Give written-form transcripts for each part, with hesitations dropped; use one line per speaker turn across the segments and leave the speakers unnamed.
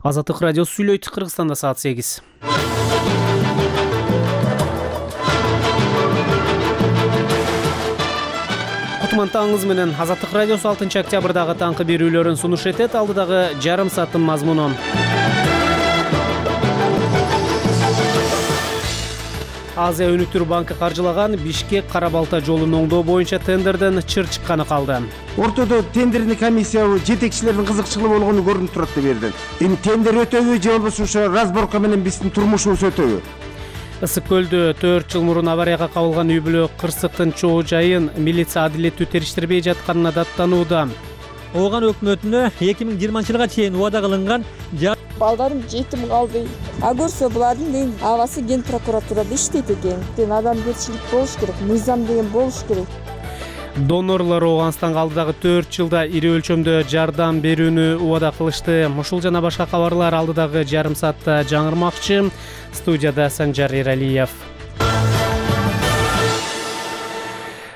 Азаттык радиосу сүйлөйт. Кыргызстанда саат 8. Кутмантаңыз менен Азаттык радиосу 6 октябрдагы таңкы берүүлөрүн сунуш этет. Алдыдагы жарым сааттын мазмуну. Азия өнүктүрүү банкы каржылаган Бишкек Кара Балта жолун оңдоо боюнча тендерден чыр чыкканы калды.
Ортодо тендердин комиссиябы жетекчилердин кызыкчылыгы болгону көрүнүп турат деп берди. Эми тендер өтөбү же болбосо разборка менен биздин турмушубуз өтөбү?
Ысык көлдө 4 жыл мурун аварияга кабылган үй бүлө кырсыктын чоо жайын милиция адилеттүү териштирбей жатканына даттанууда.
Ооган өкмөтүнө 2020-жылга чейин убада кылынган
балдарым жетим калды. А көрсө булардын абасы ген прокуратурада иштейт экен. Адамгерчилик болуш керек, мыйзам деген болуш керек.
Донорлор Ооганстан алдыдагы 4 жылда ири өлчөмдө жардам берүүнү убада кылышты. Ушул жана башка кабарлар алдыдагы жарым саатта жаңырмакчы. Студияда Санжар Эралиев.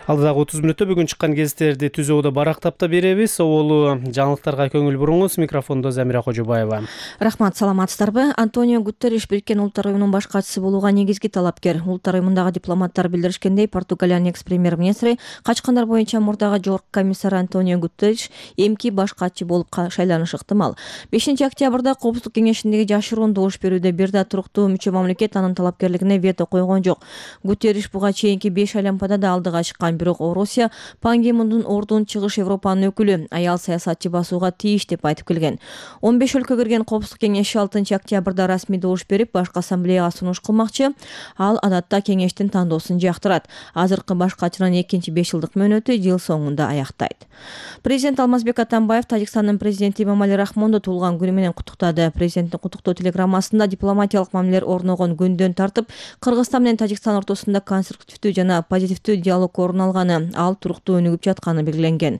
Алдыдагы 30 мүнөттө бүгүн чыккан гезиттерди түзүүдө барактап да беребиз. Оболу жаңылыктарга көңүл буруңуз. Микрофондо Замира Кожобаева.
Рахмат, саламатсыздарбы? Антонио Гутерриш Бириккен Улуттар уюмунун баш катчысы болууга негизги талапкер. Улуттар уюмундагы дипломаттар билдиришкендей, Португалиянын экс-премьер-министри качкандар боюнча мурдагы жогорку комиссар Антонио Гутерриш эмки баш катчы болуп шайланышы ыктымал. 5-октябрда Коопсуздук кеңешиндеги жашыруун добуш берүүдө бир да туруктуу мүчө мамлекет анын талапкерлигине вето койгон жок. Гутерриш буга чейинки 5 айлампада да алдыга чыккан. Бирок Орусия Пан Ги Мундун ордун чыгыш Европанын өкүлү аял саясатчы басууга тийиш деп айтып келген. 15 өлкө кирген Коопсуздук кеңеши 6 октябрда расмий добуш берип, башкы ассамблеяга сунуш кылмакчы. Ал адатта кеңештин тандоосун жактырат. Азыркы баш катчынын 2-5 жылдык мөөнөтү жыл соңунда аяктайт. Президент Алмазбек Атамбаев Тажикстандын президенти Эмомали Рахмонду туулган күнү менен куттуктады. Президенттин куттуктоо телеграммасында дипломатиялык мамилелер орногон күндөн тартып, Кыргызстан менен Тажикстан ортосунда конструктивдүү жана позитивдүү диалог орун алганы, ал туруктуу өнүгүп жатканы белгиленген.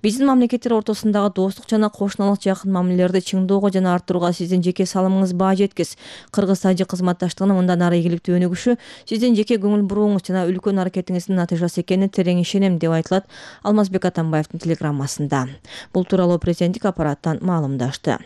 Биздин мамлекеттер ортосундагы достук жана кошуналык жакын мамилелерди чыңдоого жана арттырууга сиздин жеке салымыңыз баа жеткис. Кыргыз-Тажик кызматташтыгынын мындан ары ийгиликтүү өнүгүшү сиздин жеке көңүл бурууңуз жана үлкөн аракетиңиздин натыйжасы экенине терең ишенем деп айтылат Алмазбек Атамбаевдин телеграммасында. Бул тууралуу президенттик аппараттан маалымдашты.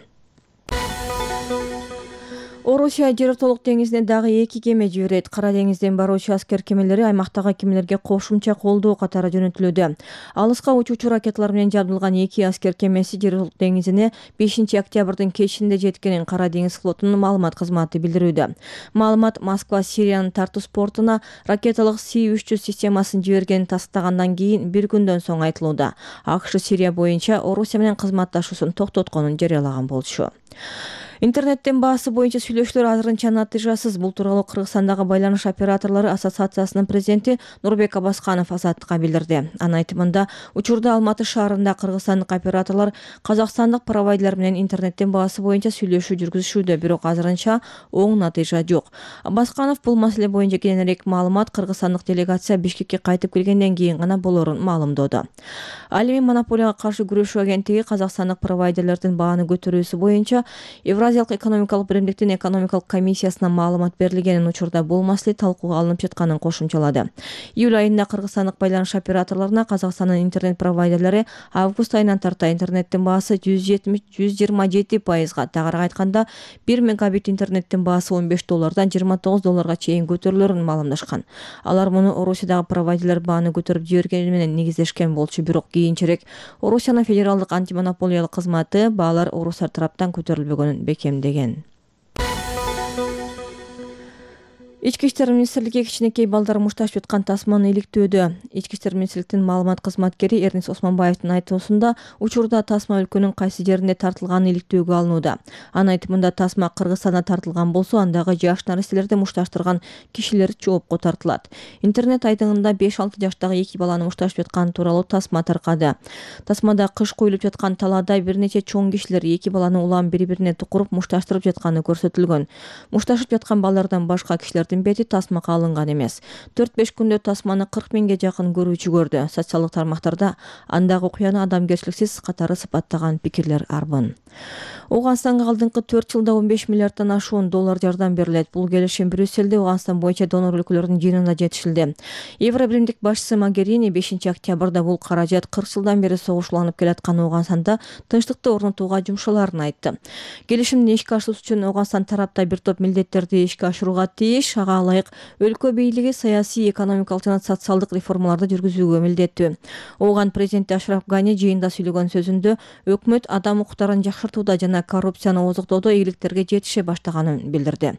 Орусия Жер ортолук деңизине дагы 2 кеме жиберет. Кара деңизден баруучу аскер кемелери аймактагы кемелерге кошумча колдоо катары жөнөтүлүүдө. Алыска учуучу ракеталар менен жабдылган 2 аскер кемеси Жер ортолук деңизине 5 октябрдын кечинде жеткенин Кара деңиз флотунун маалымат кызматы билдирүүдө. Маалымат Москва Сириянын Тартус портуна ракеталык С-300 системасын жибергенин тастыктагандан кийин бир күндөн соң айтылууда. АКШ Сирия боюнча Орусия менен кызматташуусун токтотконун жарыялаган болчу. Интернеттен баасы боюнча сүйлөшүүлөр азырынча натыйжасыз. Бул тууралуу Кыргызстандагы байланыш операторлору ассоциациясынын президенти Нурбек Абасканов Азаттыкка билдирди. Анын айтымында, учурда Алматы шаарында кыргызстандык операторлор казакстандык провайдерлер менен интернеттен баасы боюнча сүйлөшүү жүргүзүшүүдө, бирок азырынча оң натыйжа жок. Абасканов бул маселе боюнча кененирээк маалымат кыргызстандык делегация Бишкекке кайтып келгенден кийин гана болорун маалымдоодо. Ал эми монополияга каршы күрөшүү агенттиги казакстандык провайдерлердин бааны көтөрүүсү боюнча Евразиялык экономикалык биримдиктин экономикалык комиссиясына маалымат берилгенин, учурда бул маселе талкууга алынып жатканын кошумчалады. Июль айында кыргызстандык байланыш операторлоруна Казакстандын интернет провайдерлери август айынан тарта интернеттин баасы 127%, тагыраак айтканда 1 мегабит интернеттин баасы $15 $29 чейин көтөрүлөрүн маалымдашкан. Алар муну Орусиядагы провайдерлер бааны көтөрүп жибергени менен негиздешкен болчу, бирок кийинчерээк Орусиянын федералдык антимонополиялык кызматы баалар орустар тараптан көтөрүлбөгөнүн бекемдеген. Ички иштер министрлиги кичинекей балдар мушташып жаткан тасманы иликтөөдө. Ички иштер министрлигинин маалымат кызматкери Эрнис Осмонбаевдин айтуусунда, учурда тасма өлкөнүн кайсы жеринде тартылганы иликтөөгө алынууда. Анын айтымында, тасма Кыргызстанда тартылган болсо, андагы жаш наристелерди мушташтырган кишилер жоопко тартылат. Интернет айдыңында 5-6 жаштагы 2 баланы мушташып жаткан тууралуу тасма таркады. Тасмада кыш коюлуп жаткан талаада бир нече чоң кишилер 2 баланы улам бири-бирине тукуруп мушташтырып жатканы көрсөтүлгөн. Мушташып жаткан балдардан башка кишилер бети тасмага алынган эмес. 4-5 күндө тасманы 40 миңге жакын көрүүчү көрдү. Социалдык тармактарда андагы окуяны адамгерчиликсиз катары сыпаттаган пикирлер арбын. Ооганстанга алдыңкы 4 жылда 15 миллиарддан ашуун доллар жардам берилет. Бул келишим Брюссельде Ооганстан боюнча донор өлкөлөрдүн жыйынында жетишилди. Евробиримдик башчысы Могерини 5-октябрда бул каражат 40 жылдан бери согушланып келаткан Ооганстанда тынчтыкты орнотууга жумшаларын айтты. Келишимди ишке ашыруу үчүн Ооганстан тарапта бир топ милдеттерди ишке ашырууга тийиш, ага ылайык өлкө бийлиги саясий, экономикалык жана социалдык реформаларды жүргүзүүгө милдеттүү. Ооган президенти Ашраф Гани жыйында сүйлөгөн сөзүндө өкмөт адам укуктарын жакшыртууда жана коррупцияны ооздуктоодо ийгиликтерге жетише баштаганын билдирди.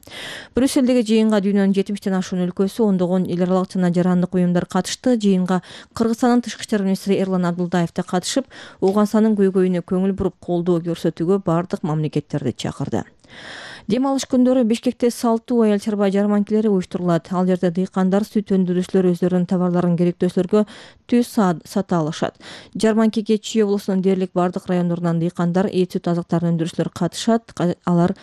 Брюссельдеги жыйынга дүйнөнүн 70тен ашуун өлкөсү, ондогон эл аралык жана жарандык уюмдар катышты. Жыйынга Кыргызстандын тышкы иштер министри Эрлан Абдулдаев да катышып, Ооганстандын көйгөйүнө көңүл буруп колдоо көрсөтүүгө бардык мамлекеттерди чакырды. Дем алыш күндөрү Бишкекте салтуу аял чарба жарманкелери уюштурулат. Ал жерде дыйкандар, сүт өндүрүүчүлөр өздөрүнүн товарларын керектөөчүлөргө түз сата алышат. Жарманкеге Чүй облусунун дээрлик бардык райондорунан дыйкандар, эт сүт азыктарын өндүрүүчүлөр катышат. Алар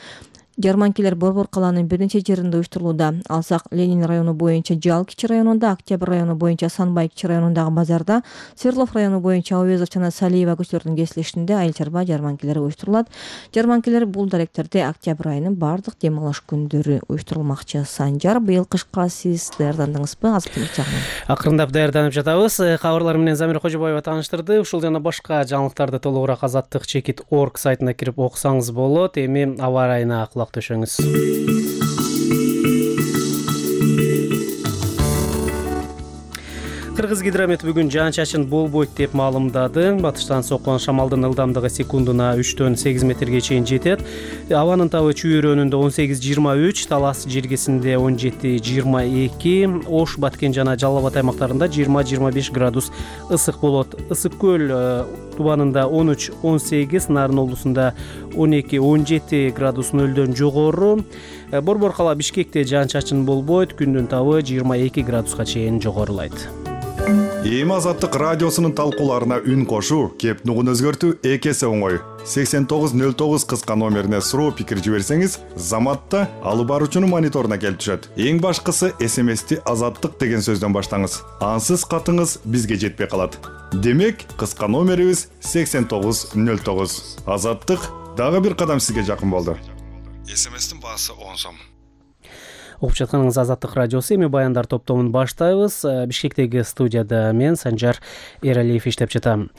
жарманкелер Борбор калаанын бир нече жеринде уюштурулууда. Алсак Ленин району боюнча Жал кичи районунда, Октябрь району боюнча Санбай кичи районундагы базарда, Свердлов району боюнча Овезов жана Салиева көчөлөрүнүн кесилишинде айыл чарба жарманкелери уюштурулат. Жарманкелер бул даректерде октябрь айынын бардык дем алыш күндөрү уюштурулмакчы. Санжар, быйыл кышка сиз даярдандыңызбы? Азык-түлүк жагынан
Акырындап даярданып жатабыз. Кабарлар менен Замир Кожобаева тааныштырды. Ушул жана башка жаңылыктарды толугураак azattik.org сайтына кирип окусаңыз болот. Эми аба ырайына төшөңүз. Кыргыз гидромет бүгүн жаан-чачын болбойт деп маалымдады. Батыштан соккон шамалдын ылдамдыгы секундуна 3-төн 8 метрге чейин жетет. Абанын табы Чүй өрөөнүндө 18-23, Талас жергесинде 17-22, Ош, Баткен жана Жалал Абад аймактарында 20-25 градус ысык болот. Ысык көл тубанында 13-18, Нарын облусунда 12-17 градус нөлдөн жогору. Борбор кала Бишкекте жаан-чачын болбойт, күндүн табы 22 градуска чейин жогорулайт.
Эми Азаттык радиосунун талкууларына үн кошуу, кеп нугун өзгөртүү эки эсе оңой. 8909 кыска номерине суроо пикир жиберсеңиз, Заматта алып баруучунун мониторуна келип түшөт. Эң башкысы СМСти Азаттык деген сөздөн баштаңыз. Ансыз катыңыз бизге жетпей калат. Демек, кыска номерибиз 8909. Азаттык дагы бир кадам сизге жакын болду. СМСтин баасы 10 сом.
Окуп жатканыңыз Азаттык радиосу. Эми баяндар топтомун баштайбыз. Бишкектеги студияда мен Санжар Эралиев иштеп жатам.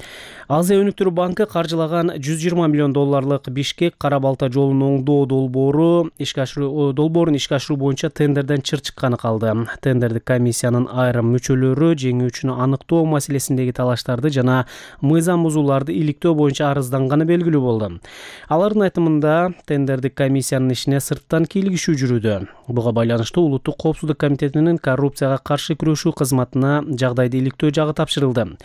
Азия өнүктүрүү банкы каржылаган 120 миллион долларлык Бишкек Кара Балта жолунун оңдоо долбоорун ишке ашыруу боюнча тендерден чыр чыкканы калды. Тендердик комиссиянын айрым мүчөлөрү жеңүүчүнү аныктоо маселесиндеги талаштарды жана мыйзам бузууларды иликтөө боюнча арызданганы белгилүү болду. Алардын айтымында тендердик комиссиянын ишине сырттан кийлигишүү жүрүүдө. Буга байланыштуу Улуттук коопсуздук комитетинин коррупцияга каршы күрөшүү кызматына жагдайды иликтөө жагы тапшырылды.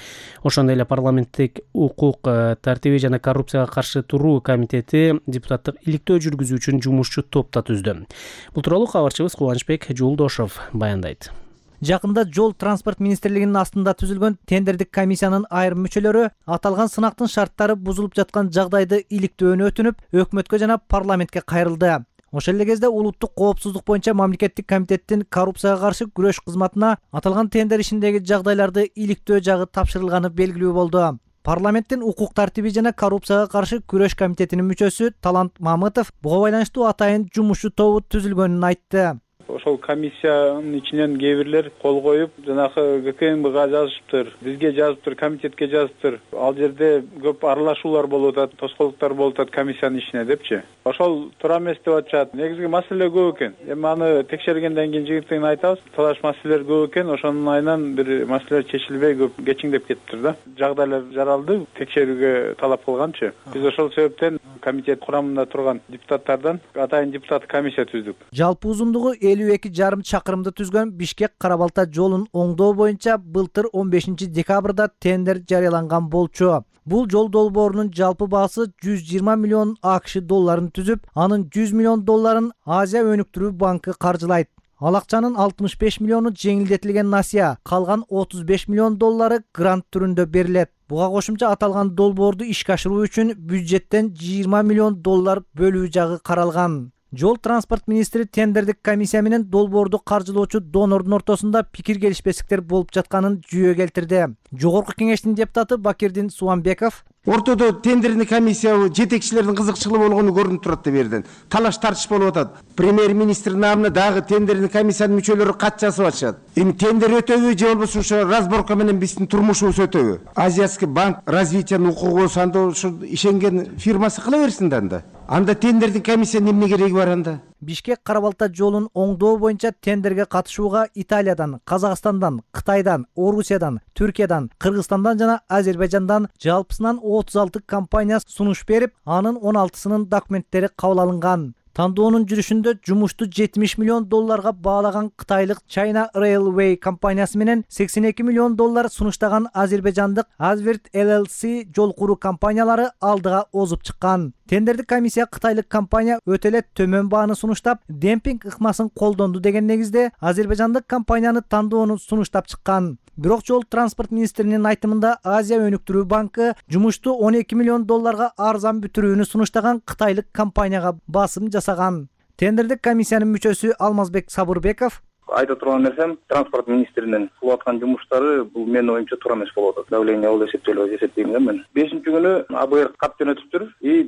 Ошондой эле парламенттик укук тартиби жана коррупцияга каршы туруу комитети депутаттык иликтөө жүргүзүү үчүн жумушчу топ да түздү. Бул тууралуу кабарчыбыз Кубанычбек Жолдошов баяндайт.
Жакында жол транспорт министрлигинин астында түзүлгөн тендердик комиссиянын айрым мүчөлөрү аталган сынактын шарттары бузулуп жаткан жагдайды иликтөөнү өтүнүп, өкмөткө жана парламентке кайрылды. Ошол эле кезде Улуттук коопсуздук боюнча мамлекеттик комитеттин коррупцияга каршы күрөш кызматына аталган тендер ишиндеги жагдайларды иликтөө жагы тапшырылганы белгилүү болду. Парламенттин укук тартиби жана коррупцияга каршы күрөш комитетинин мүчөсү Талант Мамытов буга байланыштуу атайын жумушчу тобу түзүлгөнүн айтты.
Ошол комиссиянын ичинен кээ бирлер кол коюп, жанагы ГКМБга жазышыптыр, бизге жазыптыр, комитетке жазыптыр. Ал жерде көп аралашуулар болуп атат, тоскоолдуктар болуп атат комиссиянын ишине депчи. Ошол туура эмес деп атышат. Негизги маселе көп экен. Эми аны текшергенден кийин жыйынтыгын айтабыз. Талаш маселелер көп экен, ошонун айынан бир маселелер чечилбей көп кечиңдеп кетиптир да. Жагдайлар жаралды, текшерүүгө талап кылганчы. Биз ошол себептен комитет курамында турган депутаттардан атайын депутат комиссия түздүк.
Жалпы узундугу 52,5 чакырымды түзгөн Бишкек Кара Балта жолун оңдоо боюнча былтыр 15 декабрда тендер жарыяланган болчу. Бул жол долбоорунун жалпы баасы 120 миллион АКШ долларын түзүп, анын 100 миллион долларын Азия өнүктүрүү банкы каржылайт. Ал акчанын 65 миллиону жеңилдетилген насыя, калган 35 миллион доллары грант түрүндө берилет. Буга кошумча аталган долбоорду ишке ашыруу үчүн бюджеттен 20 миллион доллар бөлүү жагы каралган. Жол транспорт министри тендердик комиссия менен долбоорду каржылоочу донордун ортосунда пикир келишпестиктер болуп жатканын жүйө келтирди. Жогорку кеңештин депутаты Бакирдин Суамбеков
ортодо тендерный комиссия жетекчилердин кызыкчылыгы болгону көрүнүп турат деп бердин. Талаш тартыш болуп атат. Премьер-министр намына дагы тендерный комиссиянын мүчөлөрү кат жазып атышат. Эми тендер өтөбү же болбосо ошо разборка менен биздин турмушубуз өтөбү? Азиатский банк развитиянын укугу анда ушу ишенген фирмасы кыла берсин да анда. Анда тендердин комиссиянын эмне кереги бар анда?
Бишкек Кара-Балта жолун оңдоо боюнча тендерге катышууга Италиядан, Казакстандан, Кытайдан, Орусиядан, Түркиядан, Кыргызстандан жана Азербайжандан жалпысынан 36 компания сунуш берип, анын 16сынын документтери кабыл алынган. Тандоонун жүрүшүндө жумушту $70 миллион баалаган кытайлык China Railway компаниясы менен $82 миллион сунуштаган азербайжандык Azvirt LLC жол куруу компаниялары алдыга озуп чыккан. Тендердик комиссия кытайлык компания өтө эле төмөн бааны сунуштап, демпинг ыкмасын колдонду деген негизде азербайжандык компанияны тандоону сунуштап чыккан. Бирок жол транспорт министринин айтымында Азия өнүктүрүү банкы жумушту $12 миллион арзан бүтүрүүнү сунуштаган кытайлык компанияга басым жасаган. Тендердик комиссиянын мүчөсү Алмазбек Сабырбеков
айта турган нерсем, транспорт министринин кылып аткан жумуштары бул менин оюмча туура эмес болуп атат. Давление болуп эсептелип эсептейм да мен. 5-күнү АБР кат жөнөтүптүр.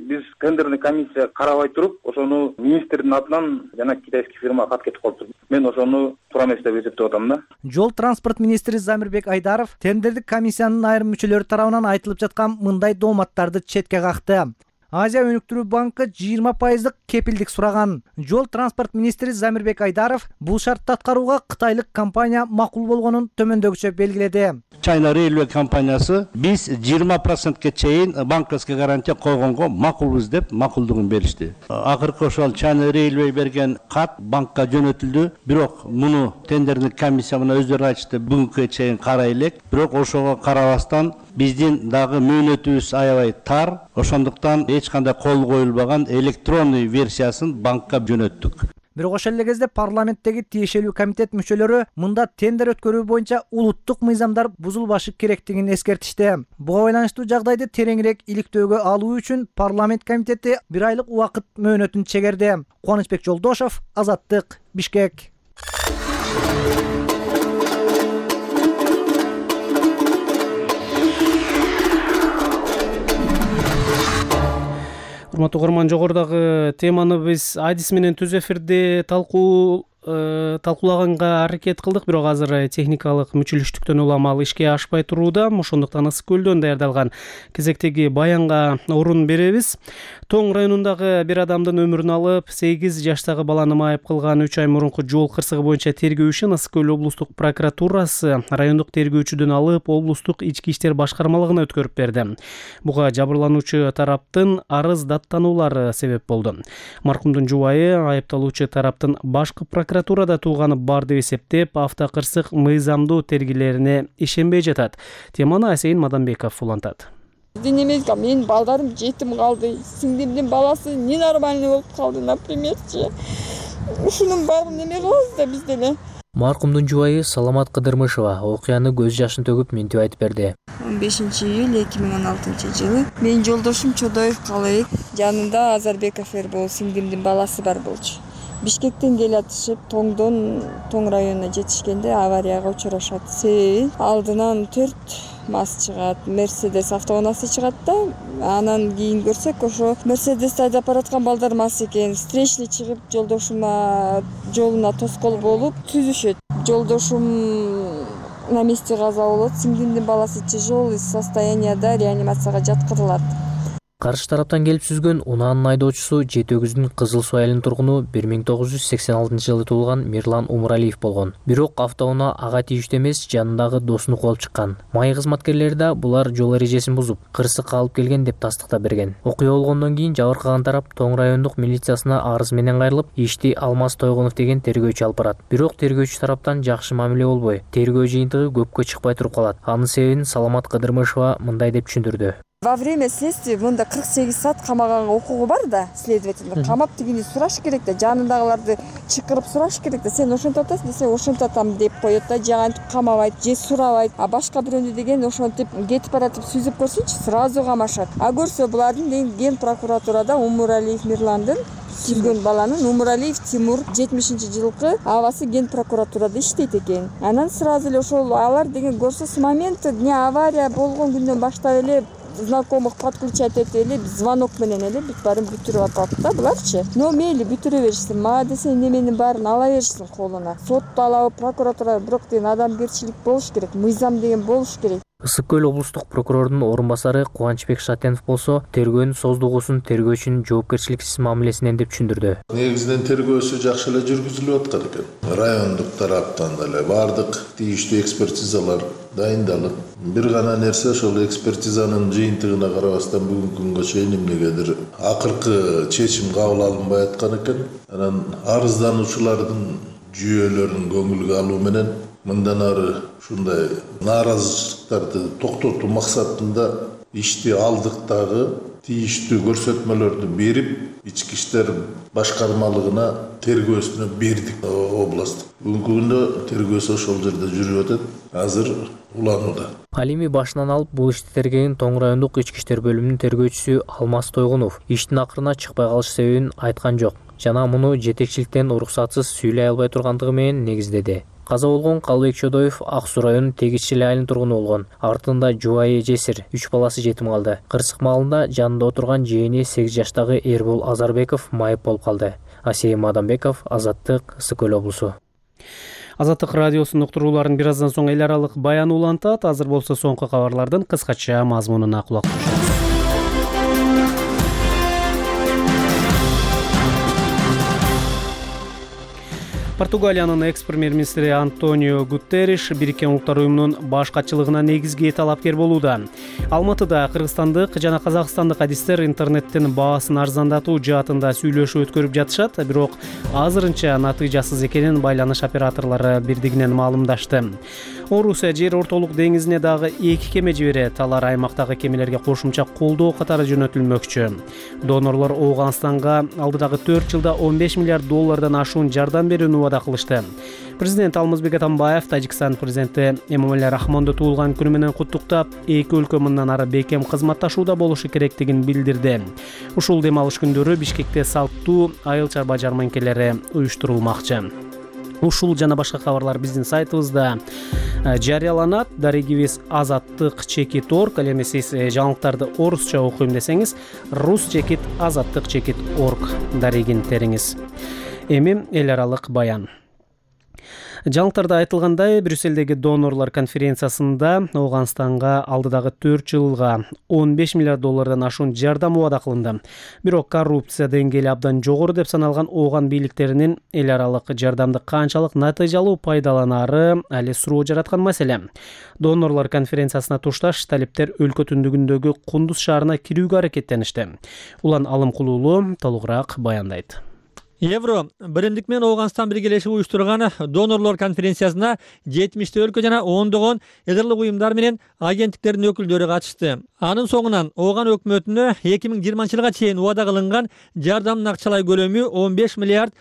Биз тендерный комиссия карабай туруп, ошону министрдин атынан жана китайский фирма кат кетип калыптыр. Мен ошону туура эмес деп эсептеп атам да.
Жол транспорт министри Замирбек Айдаров тендердик комиссиянын айрым мүчөлөрү тарабынан айтылып жаткан мындай дооматтарды четке какты. Азия өнүктүрүү банкы 20% кепилдик сураган. Жол транспорт министри Замирбек Айдаров бул шартты аткарууга кытайлык компания макул болгонун төмөндөгүчө белгиледи.
China Railway компаниясы биз 20%ке чейин банковский гарантия койгонго макулбуз деп макулдугун беришти. Акыркы ошол China Railway берген кат банкка жөнөтүлдү. Бирок муну тендердик комиссия менен өздөрү айтышты, бүгүнкү чейин карай элек. Бирок ошого карабастан биздин дагы мөөнөтүбүз аябай тар. Ошондуктан эч кандай кол коюлбаган электронный версиясын банкка жөнөттүк.
Бирок ошол эле кезде парламенттеги тиешелүү комитет мүчөлөрү мында тендер өткөрүү боюнча улуттук мыйзамдар бузулбашы керектигин эскертишти. Буга байланыштуу жагдайды тереңирээк иликтөөгө алуу үчүн парламент комитети 1 айлык убакыт мөөнөтүн чегерди. Кубанычбек Жолдошов, Азаттык, Бишкек.
Урматтуу угарман, жогорудагы теманы биз адис менен түз эфирде талкуулаганга аракет кылдык, бирок азыр техникалык мүчүлүштүктөн улам ал ишке ашпай турууда. Ошондуктан Ысык көлдөн даярдалган кезектеги баянга орун беребиз. Тоң районундагы бир адамдын өмүрүн алып, 8 жаштагы баланы майып кылган 3 ай мурунку жол кырсыгы боюнча тергөө ишин Ысык көл облустук прокуратурасы райондук тергөөчүдөн алып, облустук ички иштер башкармалыгына өткөрүп берди. Буга жабырлануучу тараптын арыз даттануулары себеп болду. Маркумдун жубайы айыпталуучу тараптын башкы прокуратурада тууганы бар деп эсептеп, автокырсык мыйзамдуу тергилерине ишенбей жатат. Теманы Асейин Маданбеков улантат.
Эмеска, менин балдарым жетим калды. Сиңдимдин баласы ненормальный болуп калды, напримерчи. Ушунун баарын неме кылабыз да биз деле.
Маркумдун жубайы Саламат Кыдырмышева окуяны көз жашын төгүп мынтип айтып берди.
15-июль 2016-жылы менин жолдошум Чодоев Калык жанында Азарбеков Эрбол сиңдимдин баласы бар болчу. Бишкектен келатышып, Тоң районуна жетишкенде аварияга учурашат. Себеби алдынан 4 МАЗ чыгат, Мерседес автоунаасы чыгат да, анан кийин көрсөк, ошо Мерседести айдап бараткан балдар МАЗ экен. Встречный чыгып, жолдошума жолуна тоскоол болуп түзүшөт. Жолдошум на месте каза болот, сиңдимдин баласы тяжелый состоянияда реанимацияга жаткырылат.
Каршы тараптан келип сүзгөн унаанын айдоочусу Жети Өгүздүн Кызыл Суу айылынын тургуну 1986-жылы туулган Мирлан Умуралиев болгон. Бирок автоунаа ага тийиштүү эмес, жанындагы досуну куалып чыккан. Май кызматкерлери да булар жол эрежесин бузуп, кырсыкка алып келген деп тастыктап берген. Окуя болгондон кийин жабыркаган тарап Тоң райондук милициясына арыз менен кайрылып, ишти Алмаз Тойгонов деген тергөөчү алып барат. Бирок тергөөчү тараптан жакшы мамиле болбой, тергөө жыйынтыгы көпкө чыкпай туруп калат. Анын себебин Саламат Кыдырмышева мындай деп түшүндүрдү.
Во время следствия мында 48 саат камаганга укугу бар да, следователь. Камап тигини сураш керек да, жанындагыларды чакырып сураш керек да. Сен ошентип атасың десе, ошентип атам деп коет да, же антип камабайт, же сурабайт. А башка бирөөнү деген ошентип кетип баратып сүзүп көрсүнчү, сразу камашат. А көрсө булардын Ген прокуратурада Умуралиев Мирландын кирген баланын Умуралиев Тимур 70-жылкы абасы ген прокуратурада иштейт экен. Анан сразу эле ошол алар деген көрсө с момента авария болгон күндөн баштап эле знакомых подключать этип эле звонок менен эле бүт баарын бүтүрүп атат да буларчы. Но мейли бүтүрө беришсин, мага десе неменин баарын ала беришсин колуна. Сотто алабы, прокуратура, бирок деген адамгерчилик болуш керек, мыйзам деген болуш керек.
Ысык көл облустук прокурордун орун басары Кубанычбек Шатенов болсо тергөөнүн создугусун тергөөчүнүн жоопкерчиликсиз мамилесинен деп түшүндүрдү.
Негизинен тергөөсү жакшы эле жүргүзүлүп аткан экен. Райондук тараптан деле баардык тийиштүү экспертизалар дайындалып, бир гана нерсе ошол экспертизанын жыйынтыгына карабастан бүгүнкү күнгө чейин эмнегедир акыркы чечим кабыл алынбай аткан экен. Анан арыздануучулардын жүйөлөрүн көңүлгө алуу менен мындан ары ушундай нааразычылыктарды токтотуу максатында ишти алдык дагы тийиштүү көрсөтмөлөрдү берип, ички иштер башкармалыгына тергөөсүнө бердик областтык. Бүгүнкү күндө тергөөсү ошол жерде жүрүп атат. Азыр уланууда.
Ал эми башынан алып бул ишти тергеген Тоң райондук ички иштер бөлүмүнүн тергөөчүсү Алмаз Тойгунов иштин акырына чыкпай калыш себебин айткан жок. Жана муну жетекчиликтен уруксатсыз сүйлөй албай тургандыгы менен негиздеди. Каза болгон Калыбек Чодоев Ак Суу районунун Тегиччил айылынын тургуну болгон. Артында жубайы жесир, 3 баласы жетим калды. Кырсык маалында жанында отурган жээни 8 жаштагы Эрбол Азарбеков майып болуп калды. Асейим Адамбеков, Азаттык, Ысык көл облусу.
Азаттык радиосунун уктурууларын бир аздан соң эл аралык баян улантат. Азыр болсо соңку кабарлардын кыскача мазмунуна кулак түшөбүз. Португалиянын экс-премьер-министри Антонио Гутерриш Бириккен Улуттар уюмунун баш катчылыгына негизги талапкер болууда. Алматыда кыргызстандык жана казакстандык адистер интернеттен баасын арзандатуу жаатында сүйлөшүү өткөрүп жатышат, бирок азырынча натыйжасыз экенин байланыш операторлору бирдигинен маалымдашты. Орусия жер ортолук деңизине дагы 2 кеме жиберет. Алар аймактагы кемелерге кошумча колдоо катары жөнөтүлмөкчү. Донорлор Ооганстанга алдыдагы 4 жылда $15 миллиард ашуун жардам берүүнү убада кылышты. Президент Алмазбек Атамбаев Тажикстан президенти Эмомали Рахмонду туулган күнү менен куттуктап, эки өлкө мындан ары бекем кызматташууда болушу керектигин билдирди. Ушул дем алыш күндөрү Бишкекте салттуу айыл чарба жарманкелери уюштурулмакчы. Ушул жана башка кабарлар биздин сайтыбызда жарыяланат. Дарегибиз azattik.org. Ал эми сиз жаңылыктарды орусча окуйм десеңиз rus-azattik.org дарегин териңиз. Эми эл аралык баян. Жаңылыктарда айтылгандай, Брюсселдеги донорлор конференциясында Ооганстанга алдыдагы 4 жылга $15 миллиард ашуун жардам убада кылынды. Бирок коррупция деңгээли абдан жогору деп саналган Ооган бийликтеринин эл аралык жардамды канчалык натыйжалуу пайдаланары али суроо жараткан маселе. Донорлор конференциясына тушташ талиптер өлкө түндүгүндөгү Кундуз шаарына кирүүгө аракеттеништи. Улан Алымкулуулу толугураак баяндайт.
Евро биримдик менен Ооганстан биргелешип уюштурган донорлор конференциясына 70 өлкө жана ондогон эдерлик уюмдар менен агенттиктердин өкүлдөрү катышты. Анын соңунан Ооган өкмөтүнө 2020-жылга чейин убада кылынган жардамдын акчалай көлөмү $15 миллиард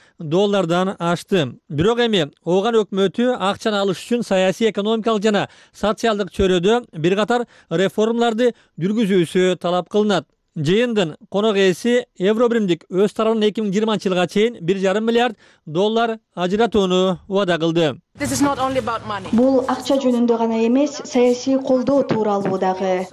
ашты. Бирок эми Ооган өкмөтү акчаны алыш үчүн саясий, экономикалык жана социалдык чөйрөдө бир катар реформаларды жүргүзүүсү талап кылынат. Жыйындын конок ээси Евро биримдик өз тарабынан 2020-жылга чейин $1,5 миллиард ажыратууну убада кылды.
Бул акча жөнүндө гана эмес, саясий колдоо тууралуу дагы.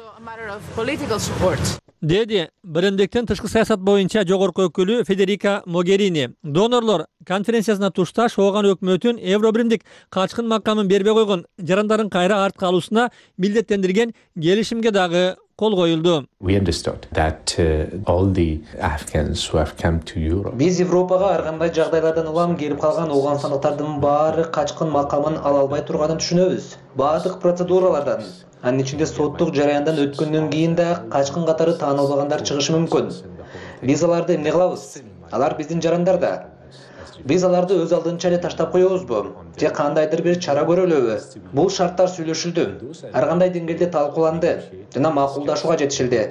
Деди биримдиктин тышкы саясат боюнча жогорку өкүлү Федерика Могерини. Донорлор конференциясына тушташ Ооган өкмөтүн Евро биримдик качкын макамын бербей койгон жарандардын кайра артка алуусуна милдеттендирген келишимге дагы кол коюлду.
Биз Европага ар кандай жагдайлардан улам келип калган ооганстандыктардын баары качкын макамын ала албай турганын түшүнөбүз. Баардык процедуралардан, анын ичинде соттук жараяндан өткөндөн кийин да качкын катары таанылбагандар чыгышы мүмкүн. Биз аларды эмне кылабыз? Алар биздин жарандар да. Биз аларды өз алдынча эле таштап коебузбу? Же кандайдыр бир чара көрөлүбү? Бул шарттар сүйлөшүлдү. Ар кандай деңгээлде талкууланды жана макулдашууга жетишилди.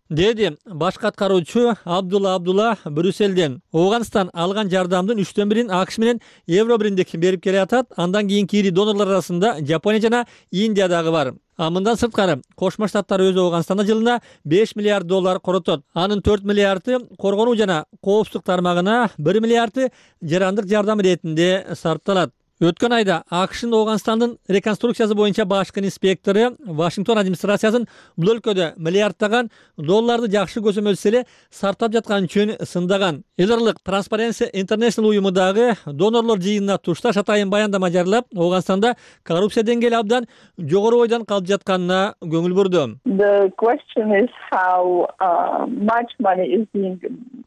Деди баш каткаруучу Абдулла Брюсселден. Ооганстан алган жардамдын 1/3 АКШ менен Евро биримдик берип келе атат. Андан кийин кири донорлор арасында Жапония жана Индия дагы бар. Мындан сырткары Кошмо Штаттар өзү Ооганстанда жылына $5 миллиард коротот. Анын 4 миллиарды коргонуу жана коопсуздук тармагына, 1 миллиарды жарандык жардам иретинде сарпталат. Өткөн айда АКШнын Ооганстандын реконструкциясы боюнча башкы инспектору Вашингтон администрациясын бул өлкөдө миллиарддаган долларды жакшы көзөмөлсөз эле сарптап жаткан үчүн сындаган. Эл аралык Transparency International уюму дагы донорлор жыйынына тушташ атайын баяндама жарыялап, Ооганстанда коррупция деңгээли абдан жогору бойдон калып жатканына көңүл бурду.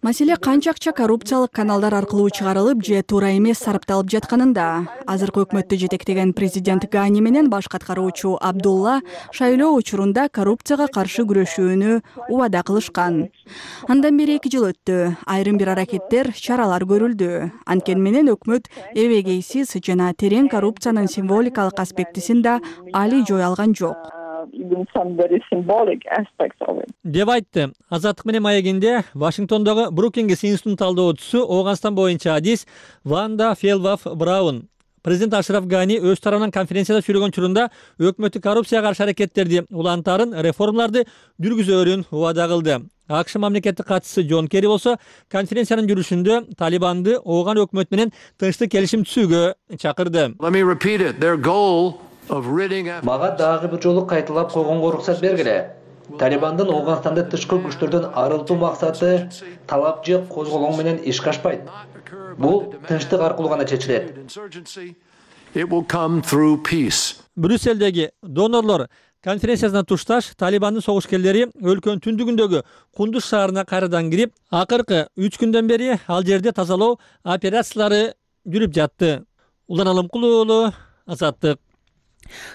Маселе канча акча коррупциялык каналдар аркылуу чыгарылып же туура эмес сарпталып жатканында. Азыркы өкмөттү жетектеген президент Гани менен баш каткаруучу Абдулла шайлоо учурунда коррупцияга каршы күрөшүүнү убада кылышкан. Андан бери 2 жыл өттү. Айрым бир аракеттер, чаралар көрүлдү. Анткени менен өкмөт эбегейсиз жана терең коррупциянын символикалык аспектисин да али жой алган жок.
Деп айтты. Азаттык менен маегинде Вашингтондогу Брукингс институтунун талдоочусу Ооганстан боюнча адис Ванда Фелваф Браун. Президент Ашраф Гани өз тарабынан конференцияда сүйлөгөн учурунда өкмөттү коррупцияга каршы аракеттерди улантарын, реформаларды жүргүзөрүн убада кылды. АКШ мамлекеттик катчысы Джон Керри болсо конференциянын жүрүшүндө Талибанды Ооган өкмөт менен тынчтык келишим түзүүгө чакырды.
Мага дагы бир жолу кайталап койгонго уруксат бергиле. Талибандын Ооганстанды тышкы күчтөрдөн арылтуу максаты талап же козголоң менен ишке ашпайт. Бул тынчтык аркылуу гана чечилет.
Брюссельдеги донорлор конференциясына тушташ Талибандын согушкерлери өлкөнүн түндүгүндөгү Кундуз шаарына кайрадан кирип, акыркы 3 күндөн бери ал жерде тазалоо операциялары жүрүп жатты. Улан Алымкулуу уулу, Азаттык.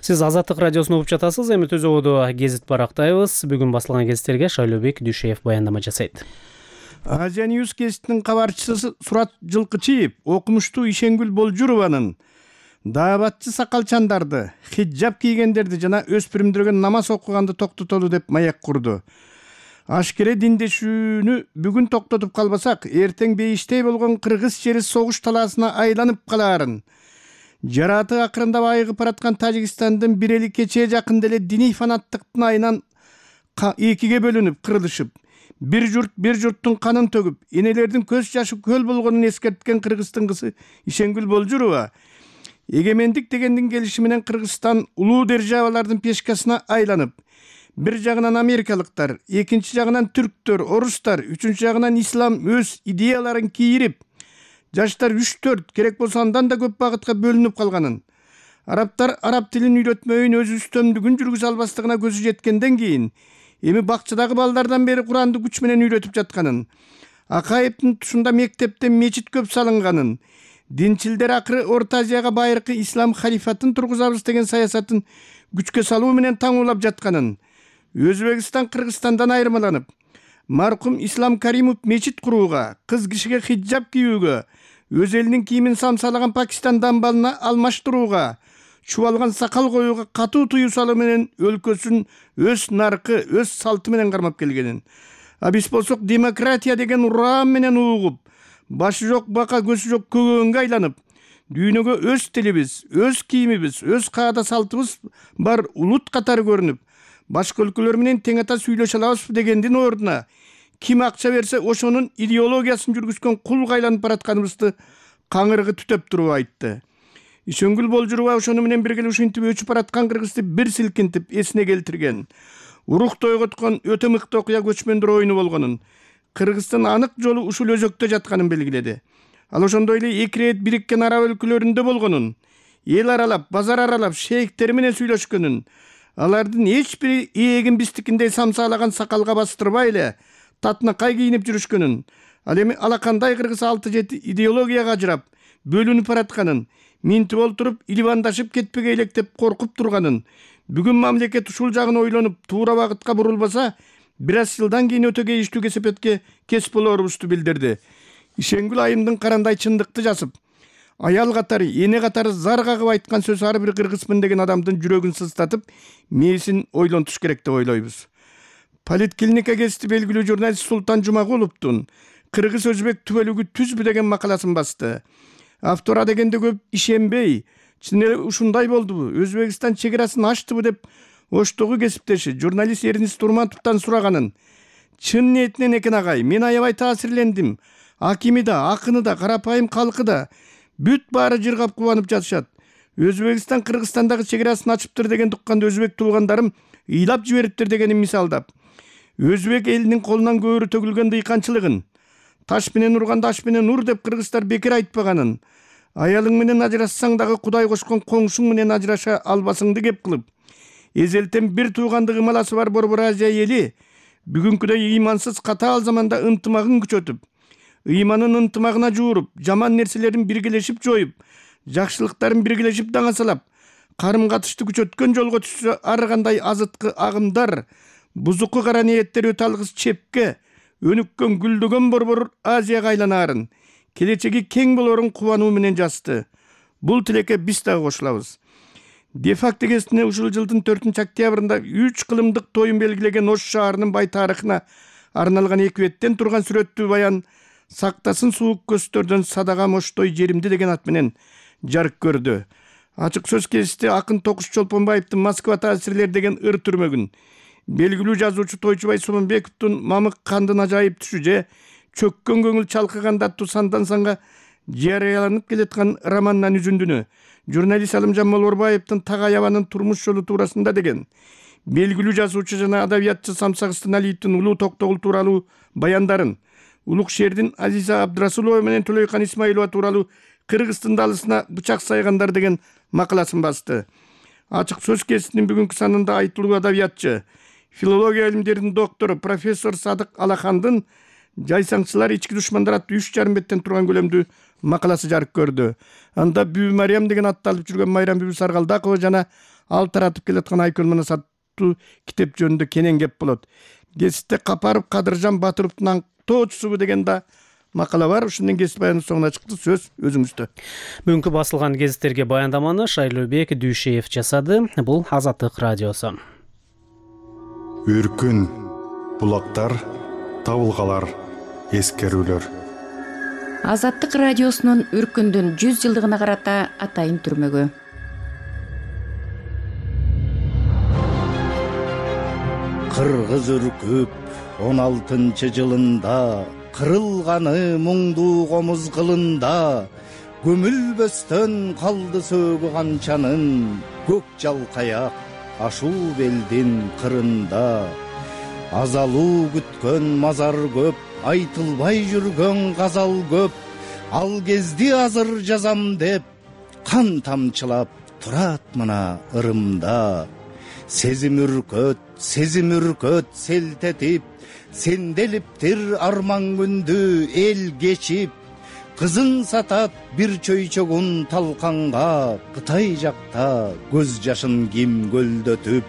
Сиз Азаттык радиосун угуп жатасыз. Эми Төзөгөдө гезит барактайбыз. Бүгүн басылган гезиттерге Шайлообек Дүйшеев баяндама жасайт.
Азия Ньюс гезитинин кабарчысы Сурат Жылкычиев окумуштуу Ишенгүл Болжурованын даабатчы сакалчандарды, хиджаб кийгендерди жана өспүрүмдөргө намаз окуганды токтотолу деп маяк курду. Ашкере диндешүүнү бүгүн токтотуп калбасак, эртең бейиштей болгон кыргыз жери согуш талаасына айланып калаарын. Жараты акырындап айыгып бараткан Тажикстандын бир эли кечээ жакында эле диний фанаттыктын айынан экиге бөлүнүп, кырылышып, бир журттун канын төгүп, энелердин көз жашы көл болгонун эскерткен Кыргыздын кызы Ишенгүл Болжурова эгемендик дегендин келиши менен Кыргызстан улуу державалардын пешкасына айланып, бир жагынан америкалыктар, экинчи жагынан түрктөр, орустар, үчүнчү жагынан ислам өз идеяларын кийирип, жаштар 3-4 керек болсо андан да көп багытка бөлүнүп калганын, арабтар араб тилин үйрөтмөйүн өз үстөмдүгүн жүргүзө албастыгына көзү жеткенден кийин эми бакчадагы балдардан бери Куранды күч менен үйрөтүп жатканын, Акаевдин тушунда мектепте мечит көп салынганын, динчилдер акыры Орто Азияга байыркы ислам халифатын тургузабыз деген саясатын күчкө салуу менен таңуулап жатканын, Өзбекстан Кыргызстандан айырмаланып, маркум Ислам Каримов мечит курууга, кыз кишиге хиджаб кийүүгө, өз элинин кийимин самсалаган Пакистан дамбалына алмаштырууга, чубалган сакал коюуга катуу тыюу салуу менен өлкөсүн өз наркы, өз салты менен кармап келгенин. А биз болсок демократия деген урам менен угуп, башы жок бака көзү жок көгөнгө айланып, дүйнөгө өз тилибиз, өз кийимибиз, өз каада салтыбыз бар улут катары көрүнүп, башка өлкөлөр менен тең ата сүйлөшө алабызбы дегендин ордуна ким акча берсе ошонун идеологиясын жүргүзгөн кулга айланып баратканыбызды каңырыгы түтөп туруп айтты. Ишенгүл Болжурова ошону менен бирге ушинтип өчүп бараткан Кыргызды бир силкинтип эсине келтирген. Урук тойготкон өтө мыкты окуя көчмөндөр оюну болгонун, Кыргыздын анык жолу ушул өзөктө жатканын белгиледи. Ал ошондой эле 2 рет бириккен араб өлкөлөрүндө болгонун, эл аралап, базар аралап, шейхтер менен сүйлөшкөнүн, алардын эч бири ээгин биздикиндей самсалаган сакалга бастырбай эле татынакай кийинип жүрүшкөнүн, ал эми алакандай кыргыз 6-7 идеологияга ажырап, бөлүнүп баратканын, минтип олтуруп, иливандашып кетпеге электеп коркуп турганын, бүгүн мамлекет ушул жагын ойлонуп, туура багытка бурулбаса, бир аз жылдан кийин өтө кейиштүү кесепетке кес болорубузду билдирди. Ишенгүл айымдын карандай чындыкты жазып, аял катары, эне катары зар кагып айткан сөз ар бир кыргызмын деген адамдын жүрөгүн сыздатып, мээсин ойлонтуш керек деп ойлойбуз. Политклиника гезити белгилүү журналист Султан Жумагуловдун Кыргыз өзбек түбөлүгү түзбү деген макаласын басты. Автора дегенде көп ишенбей, чын эле ушундай болдубу, Өзбекстан чек арасын ачтыбы деп Оштогу кесиптеши журналист Эрнис Турматовдон сураганын чын ниетинен экен агай. Мен аябай таасирлендим. Акими да, акыны да, карапайым калкы да бүт баары жыргап кубанып жатышат. Өзбекстан Кыргызстандагы чекарасын ачыптыр деген тукканда өзбек туугандарым ыйлап жибериптир дегенин мисалдап, өзбек элинин колунан көөрү төгүлгөн дыйканчылыгын, таш менен урганда аш менен ур деп кыргыздар бекер айтпаганын, аялың менен ажырассаң дагы Кудай кошкон коңшуң менен ажыраша албасыңды кеп кылып, эзелтен бир туугандык ымаласы бар Борбор Азия эли бүгүнкүдөй ыймансыз катаал заманда ынтымагын күчөтүп, ыйманын ынтымагына жууруп, жаман нерселерин биргелешип жоюп, жакшылыктарын биргелешип даңасалап, карым катышты күчөткөн жолго түшсө ар кандай азыткы агымдар, бузуку кара ниеттер өтө алгыс чепке, өнүккөн гүлдөгөн Борбор Азияга айланаарын, келечеги кең болорун кубануу менен жазды. Бул тилекке биз дагы кошулабыз. Де-факто гезитине ушул жылдын 4-октябрында 3 кылымдык тоюн белгилеген Ош шаарынын бай тарыхына арналган 2 беттен турган сүрөттүү баян «Сактасын суук көстөрдөн садагам Оштой жеримди» деген ат менен жарык көрдү. Ачык сөз кезиште акын Токуш Чолпонбаевдин «Москва таасирлер» деген ыр түрмөгүн, белгилүү жазуучу Тойчубай Сомонбековдун «Мамык кандын ажайып түшү» же «Чөккөн көңүл чалкыганда Тусандан санга» жарыяланып келаткан романынан үзүндүнү, журналист Алымжан Молорбаевдин «Так аябанын турмуш жолу туурасында» деген, белгилүү жазуучу жана адабиятчы Самсак Станалиевдин «Улуу Токтогул» тууралуу баяндарын, Улук шээрдин Азиза Абдрасулова менен Төлөйкан Исмаилова тууралуу Кыргыздын далысына бычак сайгандар деген макаласын басты. Ачык сөз кезитинин бүгүнкү санында айтылуу адабиятчы, филология илимдеринин доктору профессор Садык Алахандын «Жайсаңчылар ички душмандар» аттуу 3,5 беттен турган көлөмдүү макаласы жарык көрдү. Анда Бүбү Мариям деген атты алып жүргөн Майрам Бүбү Саргалдакова жана ал таратып келаткан Айкөл Манас аттуу китеп жөнүндө кенен кеп болот. Гезитте Капаров Кадыржан Батыровдун «Тоочусу» деген да макала бар. Ушунун гезит баянын соңуна чыкты. Сөз өзүңүздө.
Бүгүнкү басылган гезиттерге баяндаманы Шайлообек Дүйшеев жасады. Бул Азаттык радиосу.
Үркүн, булактар, табылгалар, эскерүүлөр.
Азаттык радиосунун Үркүндүн 100 жылдыгына карата атайын түрмөгү.
Кыргыз үркүп 16-жылында кырылганы муңдуу комуз кылында, көмүлбөстөн калды сөөгү канчанын, көк жалкаяк ашуу белдин кырында. Азалуу күткөн мазар көп, айтылбай жүргөн газал көп, ал кезди азыр жазам деп кан тамчылап турат мына ырымда. Сезим үркөт селтетип, сенделиптир арман күндү эл кечип, кызын сатат бир чөйчөгүн талканга, Кытай жакта көз жашын ким көлдөтүп.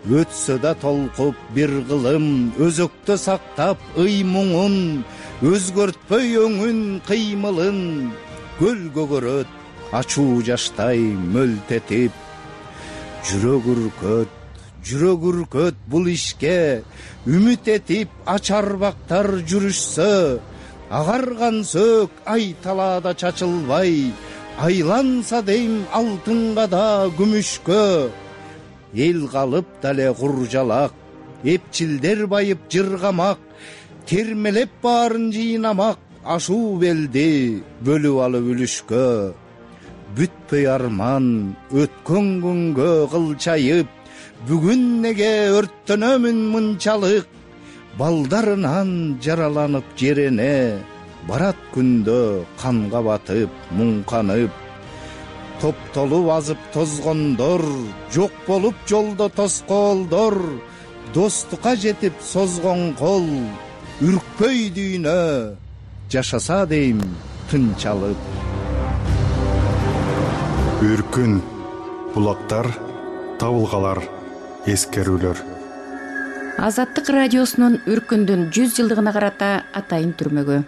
Өтсө да толкуп бир кылым, өзөктө сактап ый муңун, өзгөртпөй өңүн кыймылын, көл көгөрөт ачуу жаштай мөлтетип. Жүрөк үркөт бул ишке, үмүт этип ачарбактар жүрүшсө, агарган сөк ай талаада чачылбай, айланса дейм алтынга да күмүшкө. Эл калып дале куржалак, эпчилдер байып жыргамак, термелеп баарын жыйнамак, ашуу белди бөлүп алып үлүшкө. Бүтпөй арман өткөн күнгө кылчайып, бүгүн неге өрттөнөмүн мынчалык, балдарынан жараланып жерене, барат күндө канга батып муңканып. Топтолуп азып тозгондор, жок болуп жолдо тоскоолдор, достукка жетип созгон кол, үркпөй дүйнө жашаса дейм тынчалып.
Үркүн, булактар, табылгалар, эскерүүлөр.
Азаттык радиосунун Үркүндүн 100 жылдыгына карата атайын түрмөгү.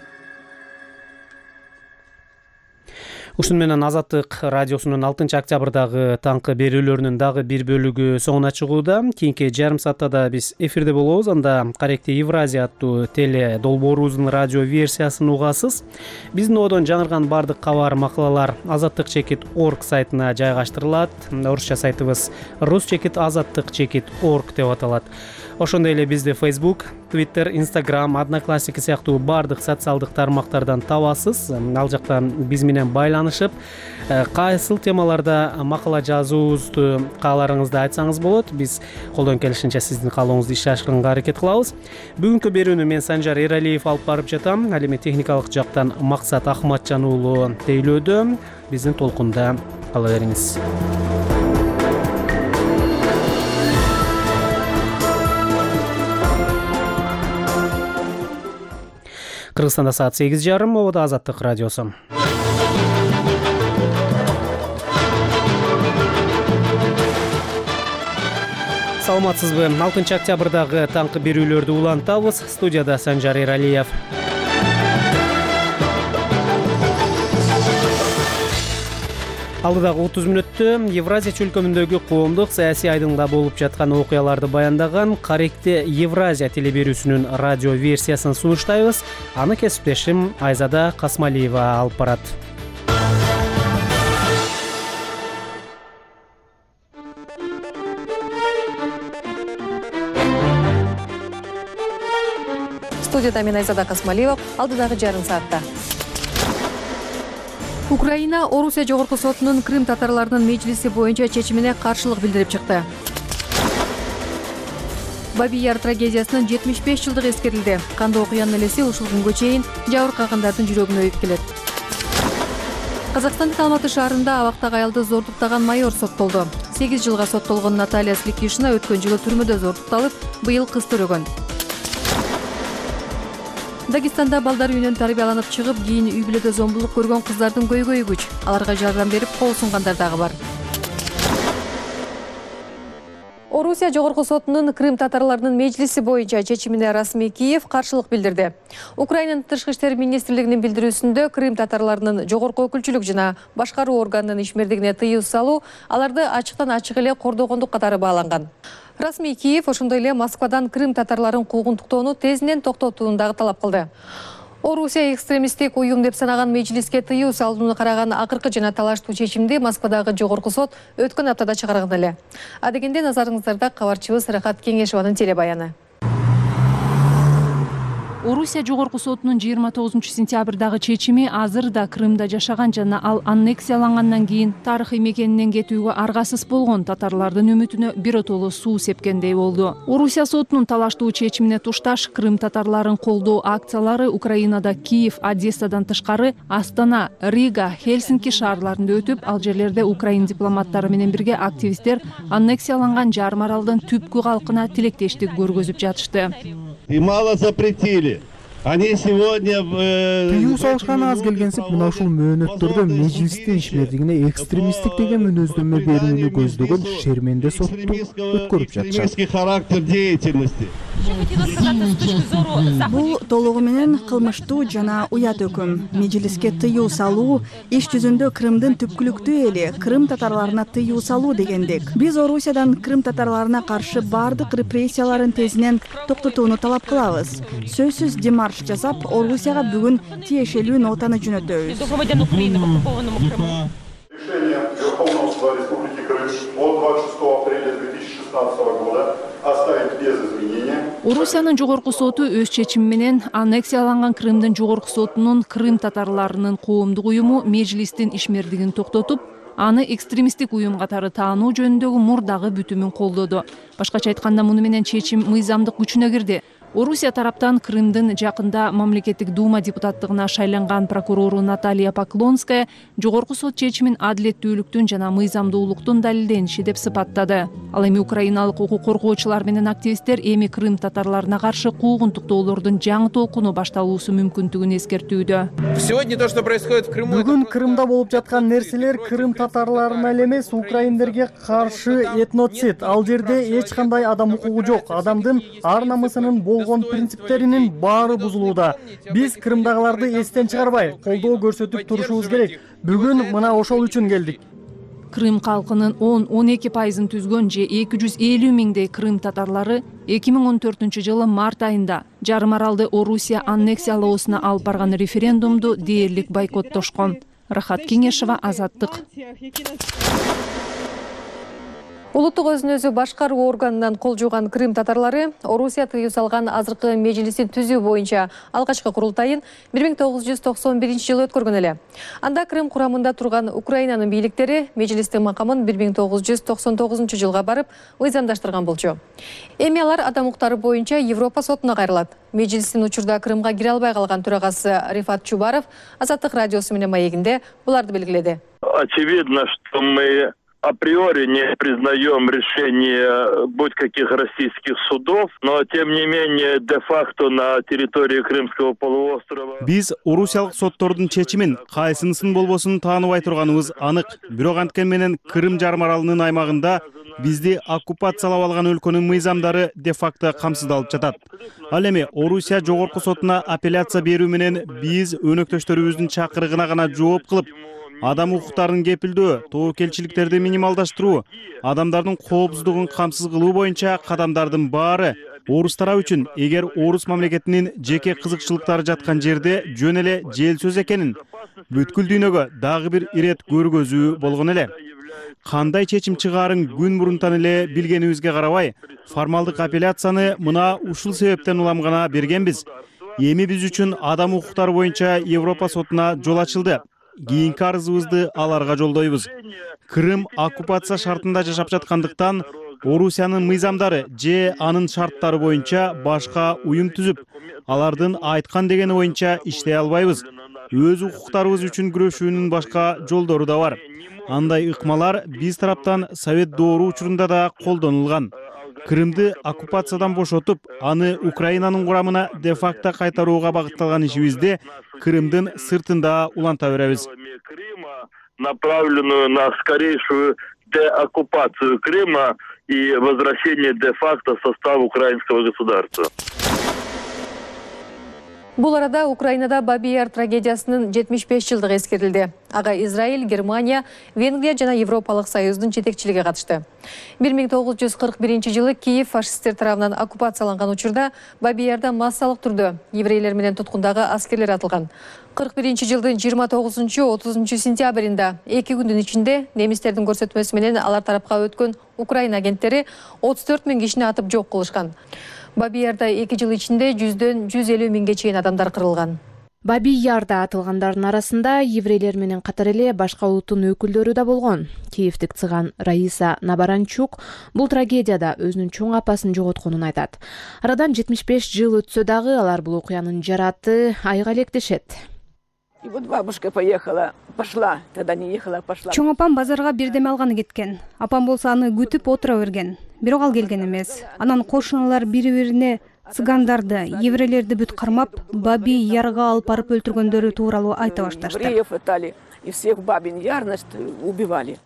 Ушуну менен Азаттык радиосунун 6-октябрдагы таңкы берүүлөрүнүн дагы бир бөлүгү соңуна чыгууда. Кийинки жарым саатта да биз эфирде болобуз. Анда Каректи Евразия аттуу теле долбоорубуздун радио версиясын угасыз. Биздин одон жаңырган бардык кабар, макалалар azattik.org сайтына жайгаштырылат. Орусча сайтыбыз rus-azattik.org деп аталат. Ошондой эле бизди Facebook, Twitter, Instagram, Одноклассники сыяктуу бардык социалдык тармактардан табасыз. Ал жактан биз менен байланышып, кайсыл темаларда макала жазуубузду кааларыңызды айтсаңыз болот. Биз колдон келишинче сиздин каалооңузду ишке ашырганга аракет кылабыз. Бүгүнкү берүүнү мен Санжар Эралиев алып барып жатам. Ал эми техникалык жактан Максат Ахматжан уулу тейлөөдө. Биздин толкунда кала бериңиз. Кыргызстанда саат 8:30, обода Азаттык радиосу. Саламатсызбы? 6-октябрдагы таңкы берүүлөрдү улантабыз. Студияда Санжар Эралиев. Алдыдагы 30 мүнөттө Евразия чөлкөмүндөгү коомдук саясий айдыңда болуп жаткан окуяларды баяндаган Каректи Евразия телеберүүсүнүн радио версиясын сунуштайбыз. Аны кесиптешим Айзада Касмалиева алып барат.
Студияда мен Айзада Касмалиева. Алдыдагы жарым саатта Украина Орусия жогорку сотунун Крым татарларынын мejlisi боюнча чечимине каршылык билдирип чыкты. Баби Яр трагедиясынын 75 жылдыгы эскерилди. Кандуу окуянын элеси ушул күнгө чейин жабыркагандардын жүрөгүнө өйүп келет. Казакстандын Алматы шаарында абактагы аялды зордуктаган майор соттолду. 8 жылга соттолгон Наталья Сликишина өткөн жылы түрмөдө зордукталып, быйыл кыз төрөгөн. Дагестанда балдар үйүнөн тарбияланып чыгып, кийин үй бүлөдө зомбулук көргөн кыздардын көйгөйү күч. Аларга жардам берип, кол сунгандар дагы бар. Орусия жогорку сотунун Крым татарларынын мejlisi боюнча чечимине расмий Киев каршылык билдирди. Украинанын тышкы иштер министрлигинин билдирүүсүндө Крым татарларынын жогорку өкүлчүлүк жана башкаруу органынын ишмердигине тыюу салуу аларды ачыктан ачык эле кордогондук катары бааланган. Расмий Киев ошондой эле Москвадан Крым татарларын куугунтуктоону тезинен токтотууну дагы талап кылды. Орусия экстремисттик уюм деп санаган мejlisке тыюу салууну караган акыркы жана талаштуу чечимди Москвадагы жогорку сот өткөн аптада чыгарган эле. Адегенде назарыңыздарда кабарчыбыз Рахат Кеңешованын телебаяны. Орусия жогорку сотунун 29-сентябрдагы чечими азыр да Крымда жашаган жана ал аннексиялангандан кийин тарыхый мекенинен кетүүгө аргасыз болгон татарлардын үмүтүнө биротоло суу сепкендей болду. Орусия сотунун талаштуу чечимине тушташ Крым татарларын колдоо акциялары Украинада Киев, Одессадан тышкары Астана, Рига, Хельсинки шаарларында өтүп, ал жерлерде Украин дипломаттары менен бирге активисттер аннексияланган жарым аралдын түпкү калкына тилектештик көргөзүп жатышты.
И мало запретили. Они сегодня
тыюу салышканы аз келгенсип, мына ушул мөөнөттөрдө мejlистин ишмердигине экстремисттик деген мүнөздөмө берүүнү көздөгөн шерменде сотту өткөрүп жатышат.
Экстремистский характер деятельности.
Бул толугу менен кылмыштуу жана уят өкүм. Мejlisке тыюу салуу иш жүзүндө Крымдын түпкүлүктүү эли Крым татарларына тыюу салуу дегендик. Биз Орусиядан Крым татарларына каршы бардык репрессияларын тезинен токтотууну талап кылабыз. Сөзсүз демарш жасап, Орусияга бүгүн тиешелүү нотаны жөнөтөбүз.
Решение Верховного суда Республики Крым от 26 апреля 2016 года оставить без изменения.
Орусиянын жогорку соту өз чечими менен аннексияланган Крымдын жогорку сотунун Крым татарларынын коомдук уюму мejlистин ишмердигин токтотуп, аны экстремисттик уюм катары таануу жөнүндөгү мурдагы бүтүмүн колдоду. Башкача айтканда, муну менен чечим мыйзамдык күчүнө кирди. Орусия тараптан Крымдын жакында мамлекеттик дума депутаттыгына шайланган прокурору Наталья Поклонская жогорку сот чечимин адилеттүүлүктүн жана мыйзамдуулуктун далилдениши деп сыпаттады. Ал эми украиналык укук коргоочулар менен активисттер эми Крым татарларына каршы куугунтуктоолордун жаңы толкуну башталуусу мүмкүндүгүн эскертүүдө.
Бүгүн Крымда болуп жаткан нерселер Крым татарларына эле эмес, украиндерге каршы этноцид. Ал жерде эч кандай адам укугу жок. Адамдын ар намысынын
болгон принциптеринин баары бузулууда. Биз Крымдагыларды эстен чыгарбай, колдоо көрсөтүп турушубуз керек. Бүгүн мына ошол үчүн келдик.
Крым калкынын 10-12% түзгөн же 250 миңдей крым татарлары 2014 жылы март айында жарым аралды Орусия аннексиялоосуна алып барган референдумду дээрлик бойкоттошкон. Рахат Кеңешева, Азаттык.
Улуттук өзүн өзү башкаруу органынан кол жууган крым татарлары Орусия тыюу салган азыркы межлистин түзүү боюнча алгачкы курултайын 1991 жылы өткөргөн эле. Анда Крым курамында турган Украинанын бийликтери межлистин макамын 1999 жылга барып мыйзамдаштырган болчу. Эми алар адам укуктары боюнча Европа сотуна кайрылат. Межлистин учурда Крымга кире албай калган төрагасы Рифат Чубаров Азаттык радиосу менен маегинде буларды белгиледи.
Очевидно, что мы априори не признаем решение будь каких российских судов, но тем не менее де-факто на территории Крымского полуострова.
Биз орусиялык соттордун чечимин кайсынысын болбосун тааныбай турганыбыз анык. Бирок анткени менен Крым жарым аралынын аймагында бизди оккупациялап алган өлкөнүн мыйзамдары де-факто камсыздалып жатат. Ал эми Орусия жогорку сотуна апелляция берүү менен биз өнөктөштөрүбүздүн чакырыгына гана жооп кылып, адам укуктарын кепилдөө, тобокелчиликтерди минималдаштыруу, адамдардын коопсуздугун камсыз кылуу боюнча кадамдардын баары орус тарабы үчүн эгер орус мамлекетинин жеке кызыкчылыктары жаткан жерде жөн эле жел сөз экенин бүткүл дүйнөгө дагы бир ирет көргөзүү болгон эле. Кандай чечим чыгаарын күн мурунтан эле билгенибизге карабай, формалдык апелляцияны мына ушул себептен улам гана бергенбиз. Эми биз үчүн адам укуктары боюнча Европа сотуна жол ачылды. Кийинки арызыбызды аларга жолдойбуз. Крым оккупация шартында жашап жаткандыктан Орусиянын мыйзамдары же анын шарттары боюнча башка уюм түзүп, алардын айткан дегени боюнча иштей албайбыз. Өз укуктарыбыз үчүн күрөшүүнүн башка жолдору да бар. Андай ыкмалар биз тараптан Совет доору учурунда да колдонулган. Крымды оккупациядан бошотуп, аны Украинанын курамына де-факто кайтарууга багытталган ишибизди Крымдын сыртында уланта беребиз.
Направленную на скорейшую деоккупацию Крыма и возвращение де-факто в состав украинского государства.
Бул арада Украинада Баби-Яр трагедиясынын 75 жылдыгы эскерилди. Ага Израиль, Германия, Венгрия жана Европалык Союздун жетекчилиги катышты. 1941 жылы Киев фашисттер тарабынан оккупацияланган учурда Баби-Ярда массалык түрдө еврейлер менен туткундагы аскерлер атылган. 41 жылдын 29-30 сентябрында 2 күндүн ичинде немистердин көрсөтмөсү менен алар тарапка өткөн Украина агенттери 34 000 кишини атып жок кылышкан. Баби-Ярда 2 жыл ичинде 100-150 миңге чейин адамдар кырылган.
Баби-Ярда атылгандардын арасында еврейлер менен катар эле башка улуттун өкүлдөрү да болгон. Киевдик цыган Раиса Набаранчук бул трагедияда өзүнүн чоң апасын жоготконун айтат. Арадан 75 жыл өтсө дагы алар бул окуянын жараты айга электешет.
И вот бабушка поехала, пошла, тогда не ехала, пошла.
Чоң апам базарга бирдеме алганы кеткен. Апам болсо аны күтүп отура берген. Бирок ал келген эмес. Анан кошуналар бири-бирине цыгандарды, еврейлерди бүт кармап, Баби-Ярга алып барып өлтүргөндөрү тууралуу айта башташты.
Евреев пытали, и всех Бабин-Яр, значит, убивали.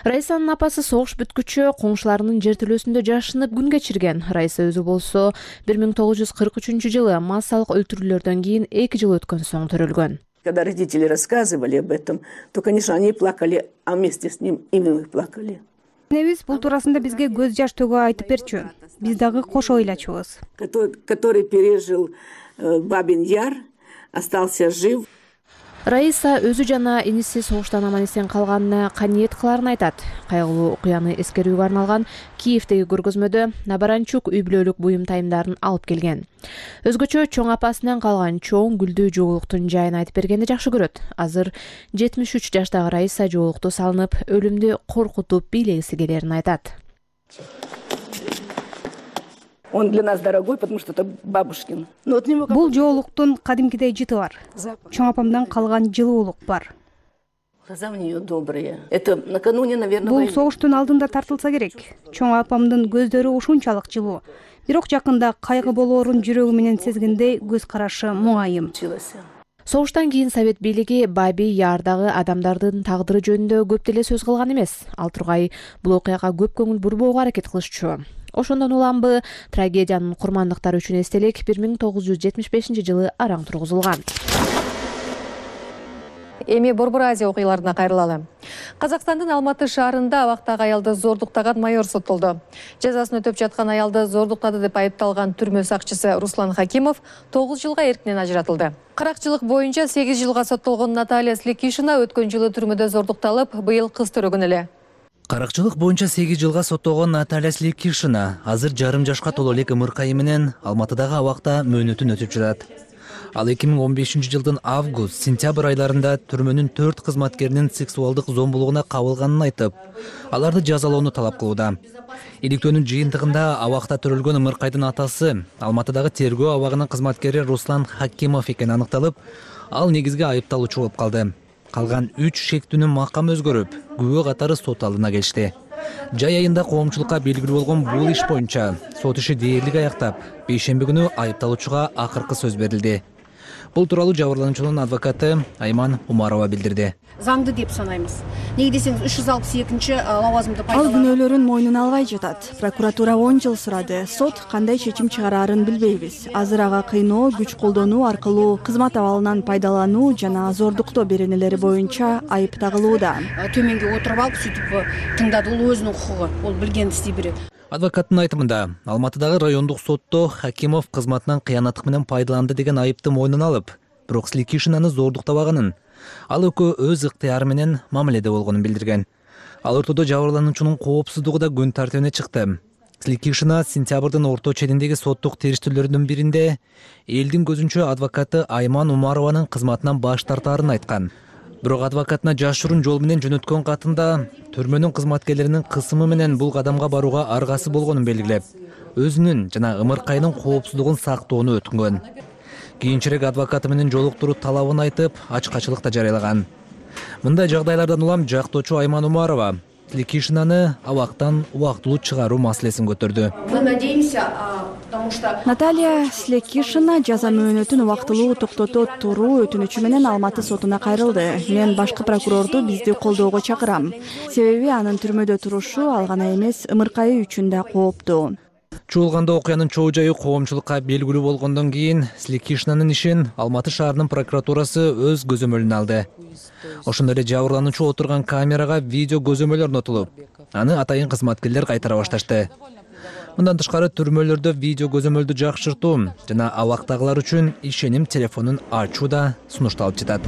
Раисанын апасы согуш бүткүчө коңшуларынын жертөлөсүндө жашынып күн кечирген. Раиса өзү болсо 1943 жылы массалык өлтүрүүлөрдөн кийин 2 жыл өткөн соң төрөлгөн.
Когда родители рассказывали об этом, то, конечно, они плакали, а вместе с ним и мы плакали.
Энебиз бул туурасында бизге көз жаш төгүү айтып берчү. Биз дагы кошо ыйлачубуз.
Который пережил Бабин-Яр, остался жив.
Раиса өзү жана иниси согуштан аман эсен калганына каниет кыларын айтат. Кайгылуу окуяны эскерүүгө арналган Киевдеги көргөзмөдө Набаранчук үй бүлөлүк буюм тайымдарын алып келген. Өзгөчө чоң апасынан калган чоң гүлдүү жоолуктун жайын айтып бергенди жакшы көрөт. Азыр 73 жаштагы Раиса жоолукту салынып, өлүмдү коркутуп бийлегиси келерин айтат.
Он для нас дорогой, потому что это бабушкин.
Бул жоолуктун кадимкидей жыты бар. Чоң апамдан калган жылуулук бар.
Глаза у нее добрые. Это накануне, наверное,
бул согуштун алдында тартылса керек. Чоң апамдын көздөрү ушунчалык жылуу. Бирок жакында кайгы болоорун жүрөгү менен сезгендей көз карашы муңайым.
Согуштан кийин Совет бийлиги Баби-Ярдагы адамдардын тагдыры жөнүндө көп деле сөз кылган эмес. Ал тургай бул окуяга көп көңүл бурбоого аракет кылышчу. Ошондон уламбы трагедиянын курмандыктары үчүн эстелик 1975-жылы араң тургузулган.
Эми Борбор Азия окуяларына кайрылалы. Казакстандын Алматы шаарында абактагы аялды зордуктаган майор соттолду. Жазасын өтөп жаткан аялды зордуктады деп айыпталган түрмө сакчысы Руслан Хакимов 9 жылга эркинен ажыратылды. Каракчылык боюнча 8 жылга соттолгон Наталья Слекишина өткөн жылы түрмөдө зордукталып, быйыл кыз төрөгөн эле.
Каракчылык боюнча 8 жылга соттолгон Наталья Слекишина азыр жарым жашка толо элек ымыркайы менен Алматыдагы абакта мөөнөтүн өтүп жатат. Ал 2015-жылдын август-сентябрь айларында түрмөнүн 4 кызматкеринин сексуалдык зомбулугуна кабылганын айтып, аларды жазалоону талап кылууда. Иликтөөнүн жыйынтыгында абакта төрөлгөн ымыркайдын атасы Алматыдагы тергөө абагынын кызматкери Руслан Хакимов экени аныкталып, ал негизги айыпталуучу болуп калды. Калган 3 шектүүнүн макамы өзгөрүп, күбө катары сот алдына келишти. Жай айында коомчулукка белгилүү болгон бул иш боюнча сот иши дээрлик аяктап, бейшемби күнү айыпталуучуга акыркы сөз берилди. Бул тууралуу жабырлануучунун адвокаты Айман Умарова билдирди.
Заңды деп санайбыз. Неге десеңиз 362 лавазымды
Ал күнөөлөрүн мойнуна албай жатат. Прокуратура 10 жыл сурады. Сот кандай чечим чыгарарын билбейбиз. Азыр ага кыйноо, күч колдонуу аркылуу кызмат абалынан пайдалануу жана зордуктоо беренелери боюнча айып тагылууда.
Төмөнгө отуруп алып, сүйтүп тыңдады, ол өзүнүн укугу, ол билген истей берет.
Адвокаттын айтымында, Алматыдагы райондук сотто Хакимов кызматынан кыянаттык менен пайдаланды деген айыпты мойнуна алып, бирок Слекишинаны зордуктабаганын, ал экөө өз ыктыяры менен мамиледе болгонун билдирген. Ал ортодо жабырлануучунун коопсуздугу да күн тартибине чыкты. Слекишина сентябрдын орто четиндеги соттук териштирүүлөрүнүн биринде элдин көзүнчө адвокаты Айман Умарованын кызматынан баш тартаарын айткан. Бирок адвокатына жашыруун жол менен жөнөткөн катында түрмөнүн кызматкерлеринин кысымы менен бул кадамга барууга аргасы болгонун белгилеп, өзүнүн жана ымыркайдын коопсуздугун сактоону өтүнгөн. Кийинчерээк адвокаты менен жолуктуруу талабын айтып, ачкачылык да жарыялаган. Мындай жагдайлардан улам жактоочу Айман Умарова Слекишинаны абактан убактылуу чыгаруу маселесин көтөрдү.
Мы надеемся, потому что
Наталья Слекишина жаза мөөнөтүн убактылуу токтото туруу өтүнүчү менен Алматы сотуна кайрылды. Мен башкы прокурорду бизди колдоого чакырам. Себеби анын түрмөдө турушу ал гана эмес, ымыркайы үчүн да кооптуу.
Чуулганда окуянын чоо жайы коомчулукка белгилүү болгондон кийин Слекишинанын ишин Алматы шаарынын прокуратурасы өз көзөмөлүнө алды. Ошондой эле жабырлануучу отурган камерага видео көзөмөл орнотулуп, аны атайын кызматкерлер кайтара башташты. Мындан тышкары түрмөлөрдө видео көзөмөлдү жакшыртуу жана абактагылар үчүн ишеним телефонун ачуу да сунушталып жатат.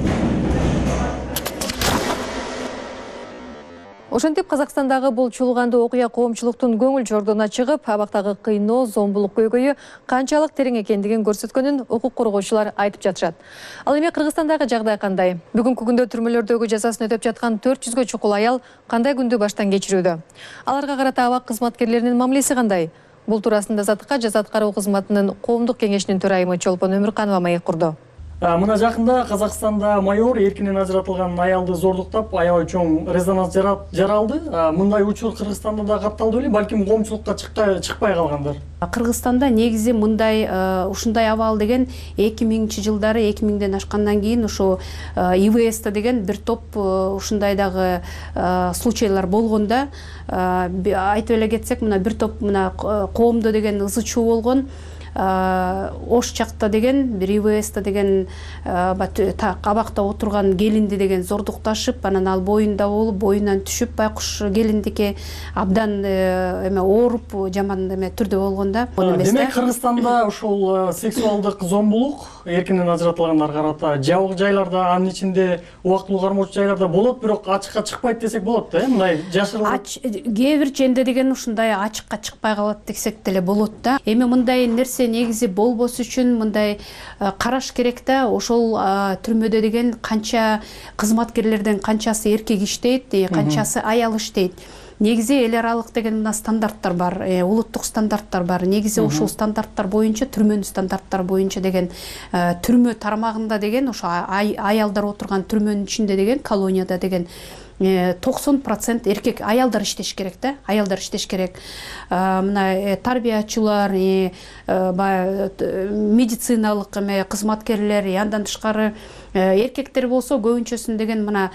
Ошентип Казакстандагы бул чуулганды окуя коомчулуктун көңүл жордуна чыгып, абактагы кыйноо, зомбулук көйгөйү канчалык терең экендигин көрсөткөнүн укук коргоочулар айтып жатышат. Ал эми Кыргызстандагы жагдай кандай? Бүгүнкү күндө түрмөлөрдөгү жазасын өтөп жаткан 400гө чукул аял кандай күндү баштан кечирүүдө? Аларга карата абак кызматкерлеринин мамилеси кандай? Бул туурасында Азаттыкка жаза аткаруу кызматынын коомдук кеңешинин төрайымы Чолпон Өмүрканова маек курду.
Мына жакында Казакстанда майор эркинен ажыратылган аялды зордуктап, аябай чоң резонанс жаралды. Мындай учур Кыргызстанда да катталды беле, балким коомчулукка чыкпай калгандар.
Кыргызстанда негизи мындай ушундай абал деген 2000-жылдары 2000ден ашкандан кийин ошо ИВС деген бир топ ушундайдагы случайлар болгонда, айтып эле кетсек, мына бир топ мына коомдо деген ызы чуу болгон. Ош жакта деген бир ИВС деген абакта отурган келинди деген зордукташып, анан ал боюнда болуп, боюнан түшүп, байкуш келиндике абдан эме ооруп, жаман эме түрдө болгонда.
Демек Кыргызстанда ушул сексуалдык зомбулук эркинен ажыратылгандарга карата жабык жайларда, анын ичинде убактылуу кармоочу жайларда болот, бирок ачыкка чыкпайт десек болот да, мындай жашырылып.
Кээ бир жерде деген ушундай ачыкка чыкпай калат десек деле болот да. Эми мындай нерсе негизи болбос үчүн мындай караш керек да. Ошол түрмөдө деген канча кызматкерлерден канчасы эркек иштейт, канчасы аял иштейт. Негизи эл аралык деген мына стандарттар бар, улуттук стандарттар бар. Негизи ошол стандарттар боюнча, түрмөнүн стандарттары боюнча деген түрмө тармагында деген ошо аялдар отурган түрмөнүн ичинде деген колонияда деген 90% эркек, аялдар иштеш керек да, аялдар иштеш керек. Мына тарбиячылар, медициналык кызматкерлер, андан тышкары эркектер болсо көбүнчөсүн деген мына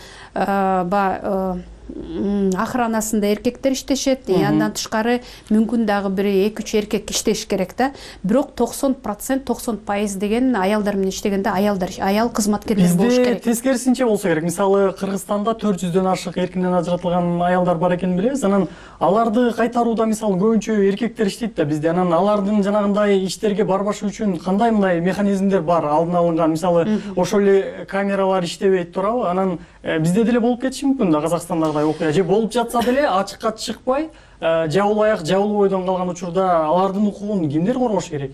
охранасында эркектер иштешет. Андан тышкары мүмкүн дагы бир 2-3 эркек иштеш керек да. Бирок 90% деген аялдар менен иштегенде аял кызматкерлер болуш керек.
Бизде тескерисинче болсо керек. Мисалы Кыргызстанда 400дөн ашык эркинен ажыратылган аялдар бар экенин билебиз. Анан аларды кайтарууда мисалы көбүнчө эркектер иштейт да бизде. Анан алардын жанагындай иштерге барбашы үчүн кандай мындай механизмдер бар алдын алынган? Мисалы ошол эле камералар иштебейт турабы? Анан бизде деле болуп кетиши мүмкүн да Казакстандагыдай окуя. Же болуп жатса деле ачыкка чыкпай, жабыл аяк, жабыл бойдон калган учурда алардын укугун кимдер коргош керек?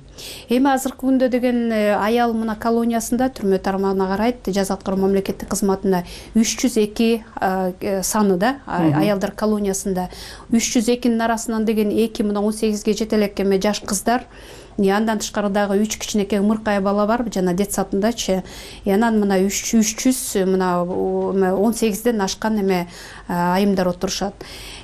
Эми азыркы күндө деген аял мына колониясында түрмө тармагына карайт, жаза аткаруу мамлекеттик кызматында 302 саны да аялдар колониясында 302нин арасынан деген 2 мына 18ге жете элек эме жаш кыздар. Андан тышкары дагы 3 кичинекей ымыркай бала бар жана детсадындачы. Анан мына 300 мына 18ден ашкан эме айымдар отурушат.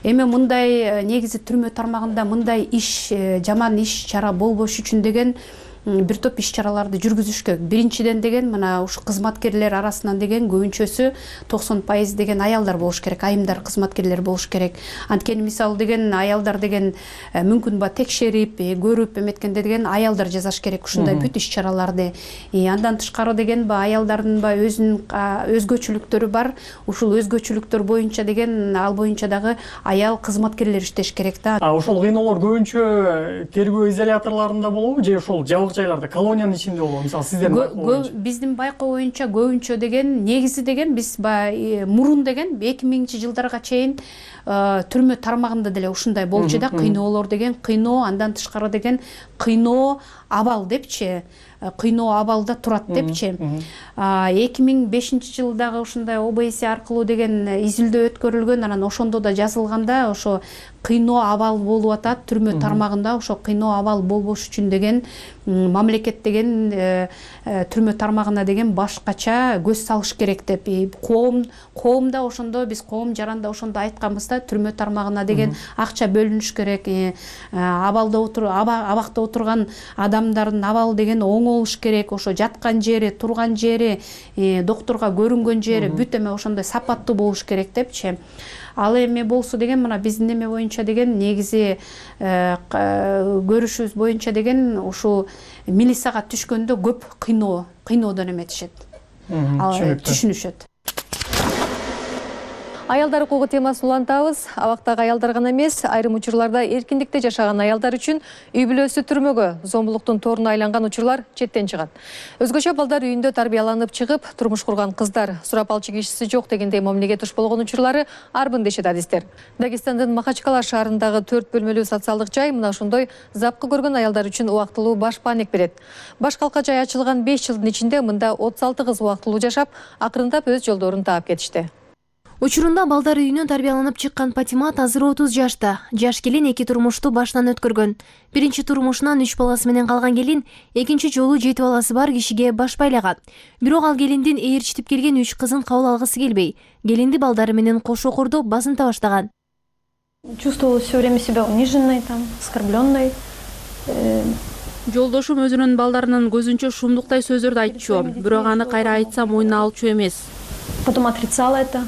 Эми мындай негизи түрмө тармагында мындай иш, жаман иш чара болбош үчүн деген бир топ иш чараларды жүргүзүш керек. Биринчиден деген мына ушу кызматкерлер арасынан деген көбүнчөсү 90% деген аялдар болуш керек, айымдар кызматкерлер болуш керек. Анткени мисалы деген аялдар деген мүмкүн ба текшерип, көрүп эметкенде деген аялдар жасаш керек ушундай бүт иш чараларды. Андан тышкары деген аялдардын өзүнүн өзгөчөлүктөрү бар. Ушул өзгөчөлүктөр боюнча деген ал боюнча дагы аял кызматкерлер иштеш керек да.
Ошол кыйноолор көбүнчө тергөө изоляторлорунда болобу же ошол жабык жайларда, колониянын ичинде болобу? Мисалы сиздердин байкоо боюнча. Биздин
байкоо боюнча көбүнчө деген негизи деген биз мурун деген 2000-жылдарга чейин түрмө тармагында деле ушундай болчу да, кыйноолор деген кыйноо, андан тышкары деген кыйноо абал депчи, кыйноо абалда турат депчи. 2005-жылдагы ушундай ОБС аркылуу деген изилдөө өткөрүлгөн, анан ошондо да жазылганда ошо кыйноо абал болуп атат түрмө тармагында, ошо кыйноо абал болбош үчүн деген мамлекет деген түрмө тармагына деген башкача көз салыш керек деп коомда ошондо биз коом жаранда ошондо айтканбыз да, түрмө тармагына деген акча бөлүнүш керек, абакта отурган адамдардын абалы деген оңолуш керек, ошо жаткан жери, турган жери, доктурга көрүнгөн жери бүт эме ошондой сапаттуу болуш керек депчи. Ал эме болсо деген мына биздин эме боюнча деген негизи көрүшүбүз боюнча деген ушу милицияга түшкөндө көп кыйноодон эметишет. Түшүнүшөт.
Аялдар укугу темасын улантабыз. Абактагы аялдар гана эмес, айрым учурларда эркиндикте жашаган аялдар үчүн үй бүлөсү түрмөгө, зомбулуктун торуна айланган учурлар четтен чыгат. Өзгөчө балдар үйүндө тарбияланып чыгып, турмуш курган кыздар, сурап алчу кишиси жок дегендей мамилеге туш болгон учурлары арбын дешет адистер. Дагестандын Махачкала шаарындагы 4 бөлмөлүү социалдык жай мына ошондой запкы көргөн аялдар үчүн убактылуу баш паник берет. Баш калка жай ачылган 5 жылдын ичинде мында 36 кыз убактылуу жашап, акырындап өз жолдорун таап кетишти.
Учурунда балдар үйүнөн тарбияланып чыккан Патимат азыр 30 жашта. Жаш келин 2 турмушту башынан өткөргөн. Биринчи турмушунан 3 баласы менен калган келин экинчи жолу 7 баласы бар кишиге баш байлаган. Бирок ал келиндин ээрчитип келген 3 кызын кабыл алгысы келбей, келинди балдары менен кошо кордоп базынта баштаган.
Чувствовала все время себя униженной, оскорбленной.
Жолдошум өзүнүн балдарынын көзүнчө шумдуктай сөздөрдү айтчу, бирок аны кайра айтсам мойнуна алчу эмес.
Потом отрицала это.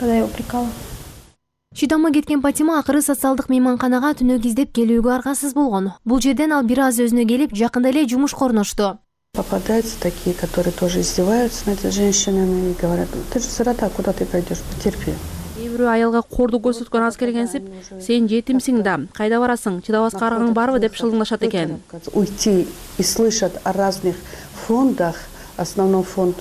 Когда я упрекала.
Шыдамы кеткен Патима акыры социалдык мейманканага түнөк издеп келүүгө аргасыз болгон. Бул жерден ал бир аз өзүнө келип, жакында эле жумушка орношту.
Попадаются такие, которые тоже издеваются над женщинами и говорят: ты же сирота, куда ты пойдешь, потерпи.
Бирөө аялга кордук көрсөткөн аз келгенсип, сен жетимсиң да, кайда барасың, чыдабаска аргаң барбы деп шылыңдашат экен.
Уйти и слышат о разных фондах, основной фонд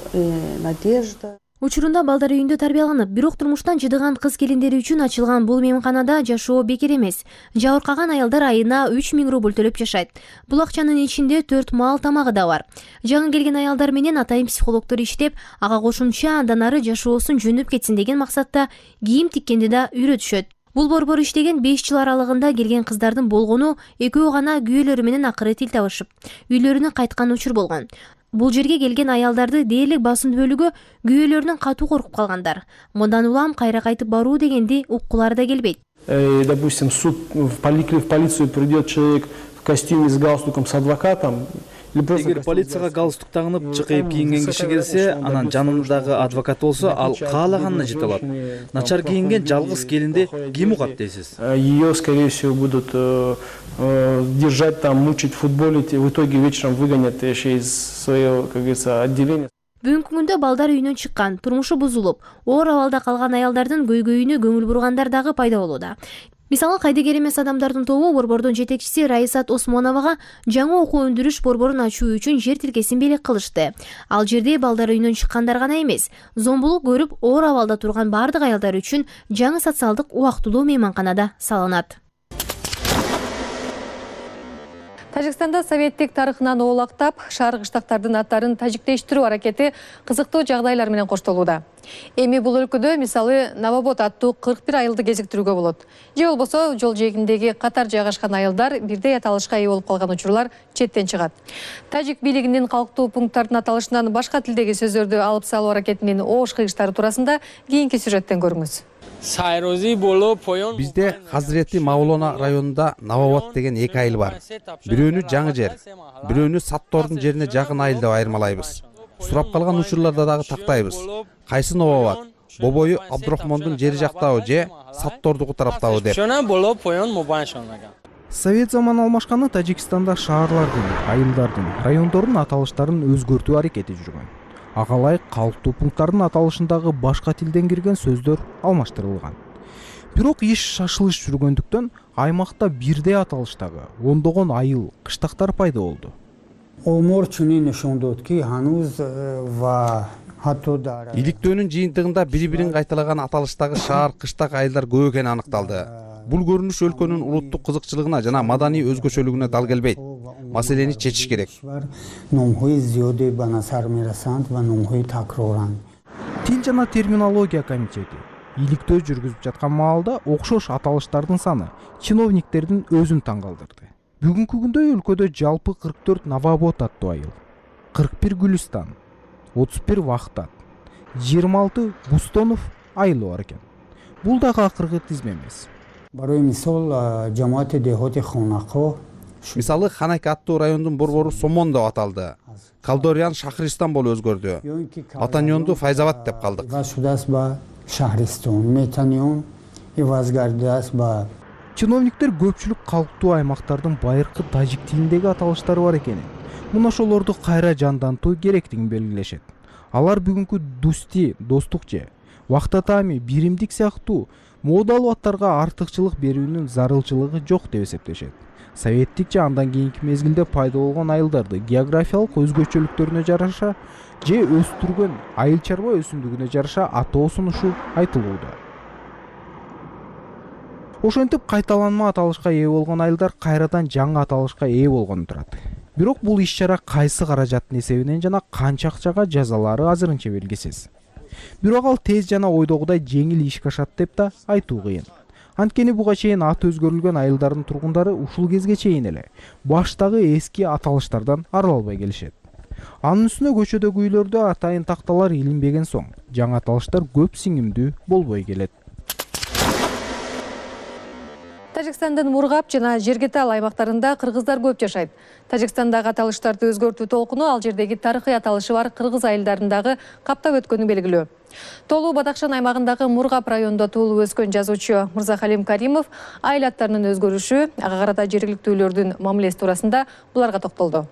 «Надежда».
Учурунда балдар үйүндө тарбияланып, бирок турмуштан жыдыган кыз келиндери үчүн ачылган бул мейманканада жашоо бекер эмес. Жабыркаган аялдар айына 3000 рубль төлөп жашайт. Бул акчанын ичинде 4 маал тамагы да бар. Жаңы келген аялдар менен атайын психологдор иштеп, ага кошумча андан ары жашоосун жөндөп кетсин деген максатта кийим тиккенди да үйрөтүшөт. Бул борбор иштеген 5 жыл аралыгында келген кыздардын болгону экөө гана күйөөлөрү менен акыры тил табышып, үйлөрүнө кайткан учур болгон. Бул жерге келген аялдарды дээрлик басым бөлүгү күйөөлөрүнөн катуу коркуп калгандар. Мындан улам кайра кайтып баруу дегенди уккулары да келбейт.
Допустим, в полицию придет человек в костюме с галстуком с адвокатом,
Эгер полицияга галстук тагынып чыкайып кийинген киши келсе, анан жанындагы адвокат болсо, ал каалаганына жете алат. Начар кийинген жалгыз келинди ким угат дейсиз?
Ее, скорее всего, будут держать там, мучить, футболить, и в итоге вечером выгонят еще из своего, как говорится, отделения.
Бүгүнкү күндө балдар үйүнөн чыккан, турмушу бузулуп, оор абалда калган аялдардын көйгөйүнө көңүл бургандар дагы пайда болууда. Мисалы, кайдыгер эмес адамдардын тобу борбордун жетекчиси Раисат Осмоновага жаңы окуу өндүрүш борборун ачуу үчүн жер тилкесин белек кылышты. Ал жерде балдар үйүнөн чыккандар гана эмес, зомбулук көрүп оор абалда турган бардык аялдар үчүн жаңы социалдык убактылуу мейманканада салынат.
Тажикстанда советтик тарыхынан оолактап, шаар кыштактардын аттарын тажиктештирүү аракети кызыктуу жагдайлар менен коштолууда. Эми бул өлкөдө мисалы Новобод аттуу 41 айылды кезиктирүүгө болот. Же болбосо жол жээгиндеги катар жайгашкан айылдар бирдей аталышка ээ болуп калган учурлар четтен чыгат. Тажик бийлигинин калктуу пункттардын аталышынан башка тилдеги сөздөрдү алып салуу аракетинин оош кыйгычтары туурасында кийинки сюжеттен көрүңүз.
Бизде Хазирети Мавлона районунда Новобод деген эки айыл бар. Бирөөнү жаңы жер, бирөөнү Саттордун жерине жакын айыл деп айырмалайбыз. Сурап калган учурларда дагы тактайбыз. Кайсы Новобод? Бобою Абдурахмондун жери жактабы же Саттордуку тараптабы деп.
Совет заманы алмашканы Тажикстанда шаарлардын, айылдардын, райондордун аталыштарын өзгөртүү аракети жүргөн. Ага ылайык калктуу пункттардын аталышындагы башка тилден кирген сөздөр алмаштырылган. Бирок иш шашылыш жүргөндүктөн аймакта бирдей аталыштагы ондогон айыл, кыштактар пайда болду. Иликтөөнүн жыйынтыгында бири-бирин кайталаган аталыштагы шаар, кыштак айылдар көп экени аныкталды. Бул көрүнүш өлкөнүн улуттук кызыкчылыгына жана маданий өзгөчөлүгүнө дал келбейт. Маселени чечиш керек. Тил жана терминология комитети иликтөө жүргүзүп жаткан маалда окшош аталыштардын саны чиновниктердин өзүн таң калтырды. Бүгүнкү күндө өлкөдө жалпы 44 Новобод аттуу айыл, 41 Гүлүстан, 31 Вахтат, 26 Бустонов айылы бар экен. Бул дагы акыркы тизме эмес. Мисалы Ханак аттуу райондун борбору Сомон деп аталды. Калдориян Шахристан болуп өзгөрдү. Атаньонду Файзабад деп калдык. Чиновниктер көпчүлүк калктуу аймактардын байыркы тажик тилиндеги аталыштары бар экенин, муна ошолорду кайра жандантуу керектигин белгилешет. Алар бүгүнкү дусти, достук же Вахтатами, биримдик сыяктуу моодалуу аттарга артыкчылык берүүнүн зарылчылыгы жок деп эсептешет. Советтик же андан кийинки мезгилде пайда болгон айылдарды географиялык өзгөчөлүктөрүнө жараша же өстүргөн айыл чарба өсүмдүгүнө жараша атоо сунушу айтылууда. Ошентип кайталанма аталышка ээ болгон айылдар кайрадан жаңы аталышка ээ болгону турат. Бирок бул иш-чара кайсы каражаттын эсебинен жана канча акчага жазалары азырынча белгисиз. Бирок ал тез жана ойдогудай жеңил ишке ашат деп да айтуу кыйын. Анткени буга чейин аты өзгөрүлгөн айылдардын тургундары ушул кезге чейин эле баштагы эски аталыштардан арыла албай келишет. Анын үстүнө көчөдөгү үйлөрдө атайын такталар илинбеген соң, жаңы аталыштар көп сиңимдүү болбой келет.
Тажикстандын Мургап жана Жергетал аймактарында кыргыздар көп жашайт. Тажикстандагы аталыштарды өзгөртүү толкуну ал жердеги тарыхый аталышы бар кыргыз айылдарындагы каптап өткөнү белгилүү. Толуу Бадакшан аймагындагы Мургап районунда туулуп өскөн жазуучу Мырзахалим Каримов айыл аттарынын өзгөрүшү, ага карата жергиликтүүлөрдүн мамилеси туурасында буларга токтолду.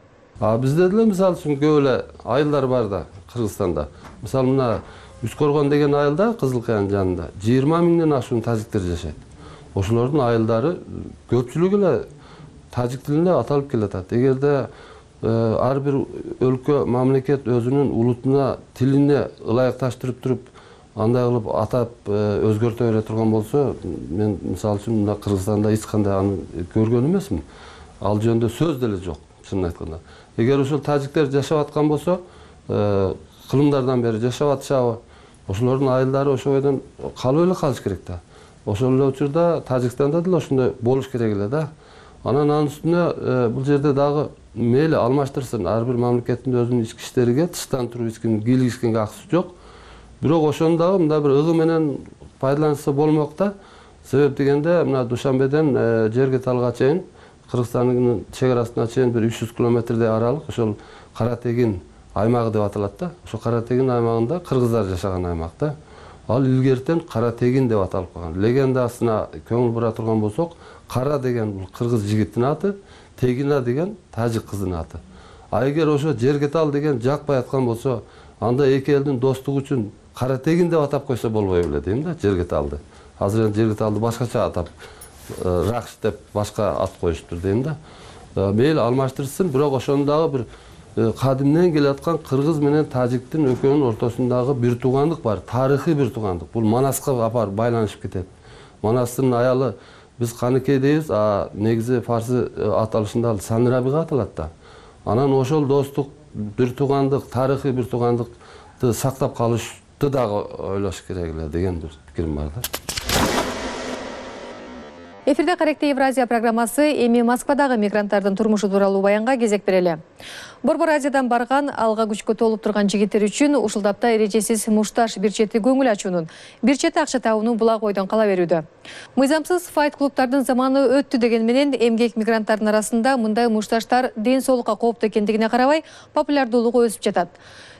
Бизде деле мисалы үчүн көп эле айылдар бар да Кыргызстанда. Мисалы мына Үскөргөн деген айылда Кызыл Каянын жанында 20 миңден ашуун тажиктер жашайт. Ошолордун айылдары көпчүлүгү эле тажик тилинде аталып келатат. Эгерде ар бир өлкө, мамлекет өзүнүн улутуна, тилине ылайыкташтырып туруп, андай кылып атап өзгөртө бере турган болсо, мен мисалы үчүн мына Кыргызстанда эч кандай аны көргөн эмесмин. Ал жөнүндө сөз деле жок, чынын айтканда. Эгер ошол тажиктер жашап аткан болсо, кылымдардан бери жашап атышабы, ошолордун айылдары ошол бойдон калып эле калыш керек да. Ошол эле учурда Тажикстанда деле ошондой болуш керек эле да. Анын үстүнө бул жерде дагы мейли алмаштырсын. Ар бир мамлекеттин өзүнүн ички иштериге тыштан туруп эчким кийлигишкенге акысы жок. Бирок ошону дагы мындай бир ыгы менен пайдаланса болмок да. Себеп дегенде мына Душанбеден Жергеталга чейин Кыргызстандын чек арасына чейин бир 300 километрдей аралык ошол Каратегин аймагы деп аталат да. Ошо Каратегин аймагында кыргыздар жашаган аймак да. Ал илгертен Каратегин деп аталып калган. Легендасына көңүл бура турган болсок, Кара деген бул кыргыз жигитинин аты, Тегина деген тажик кызынын аты. А эгер ошо Жергетал деген жакпай аткан болсо, анда эки элдин достугу үчүн Каратегин деп атап койсо болбой беле дейм да, Жергеталды. Азыр Жергеталды башкача атап, Ракш деп башка ат коюштур дейм да. Мейли алмаштырсын, бирок ошондагы бир кадимден келе аткан кыргыз менен тажиктин экөөнүн ортосундагы бир туугандык бар, тарыхый бир туугандык. Бул Манаска апарып байланышып кетет. Манастын аялы биз Каныкей дейбиз, а негизи фарсы аталышында ал Санирабига аталат да. Анан ошол достук, бир туугандык, тарыхый бир туугандыкты сактап калышты дагы ойлош керек эле деген бир пикирим бар да.
Эфирде Каректе Евразия программасы эми Москвадагы мигранттардын турмушу тууралуу баянга кезек берели. Борбор Азиядан барган, алга күчкө толуп турган жигиттер үчүн ушул тапта эрежесиз мушташ бир чети көңүл ачуунун, бир чети акча табуунун булак ойдон кала берүүдө. Мыйзамсыз файт-клубдардын заманы өттү деген менен эмгек мигранттардын арасында мындай мушташтар ден соолукка кооптуу экендигине карабай, популярдуулугу өсүп жатат.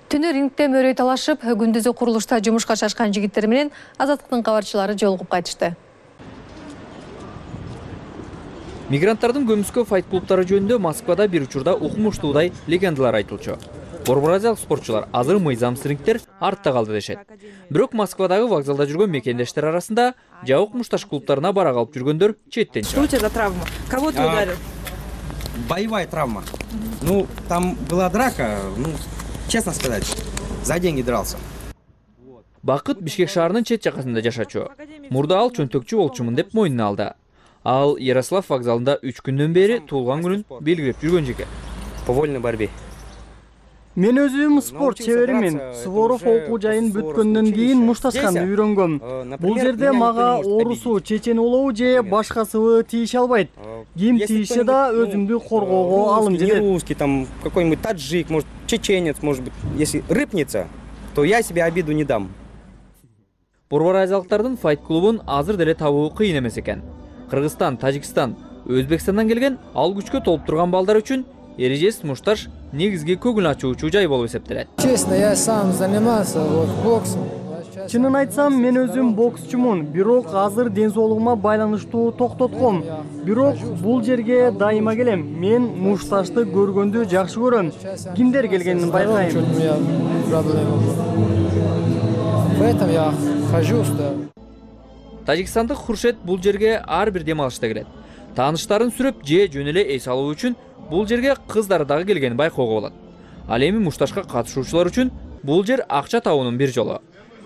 Түнү рингте мөрөй талашып, күндүзү курулушта жумушка шашкан жигиттер менен Азаттыктын кабарчылары жолугуп кайтышты.
Мигранттардын көмүскө файт-клубтары жөнүндө Москвада бир учурда укмуштуудай легендалар айтылчу. Борбор азиялык спортчулар азыр мыйзамсыз рингтер артта калды дешет. Бирок Москвадагы вокзалда жүргөн мекендештер арасында жабык мушташ клубтарына бара калып жүргөндөр четтен чыгат.
Что у тебя за травма? Кого ты ударил?
Боевая травма. Ну, там была драка, ну, честно сказать, за деньги дрался.
Бакыт Бишкек шаарынын чет жакасында жашачу. Мурда ал чөнтөкчү болчумун деп мойнуна алды. Ал Ярослав вокзалында 3 күндөн бери туулган күнүн белгилеп жүргөн жигит.
По вольной борьбе.
Мен өзүм спорт чеберимин. Суворов окуу жайын бүткөндөн кийин мушташканды үйрөнгөм. Бул жерде мага орусу, чечен улуу же башкасыбы тийише албайт. Ким тийишсе да өзүмдү коргоого алым жетет.
Русский, там какой-нибудь таджик, может, чеченец, может быть, если рыпнется, то я себе обиду не дам.
Борбор азиялыктардын файт-клубун азыр деле табуу кыйын эмес экен. Кыргызстан, Тажикстан, Өзбекстандан келген ал күчкө толуп турган балдар үчүн эрежесиз мушташ негизги көңүл ачуучу жай болуп эсептелет.
Честно, я сам занимался боксом.
Чынын айтсам, мен өзүм боксчумун, бирок азыр ден соолугума байланыштуу токтотком. Бирок бул жерге дайыма келем. Мен мушташты көргөндү жакшы көрөм. Кимдер келгенин байкайм.
Поэтому я хожу,
Тажикстандык Хуршет бул жерге ар бир дем алышта келет. Тааныштарын сүрөп же жөн эле эс алуу үчүн бул жерге кыздары дагы келгенин байкоого болот. Ал эми мушташка катышуучулар үчүн бул жер акча табуунун бир жолу.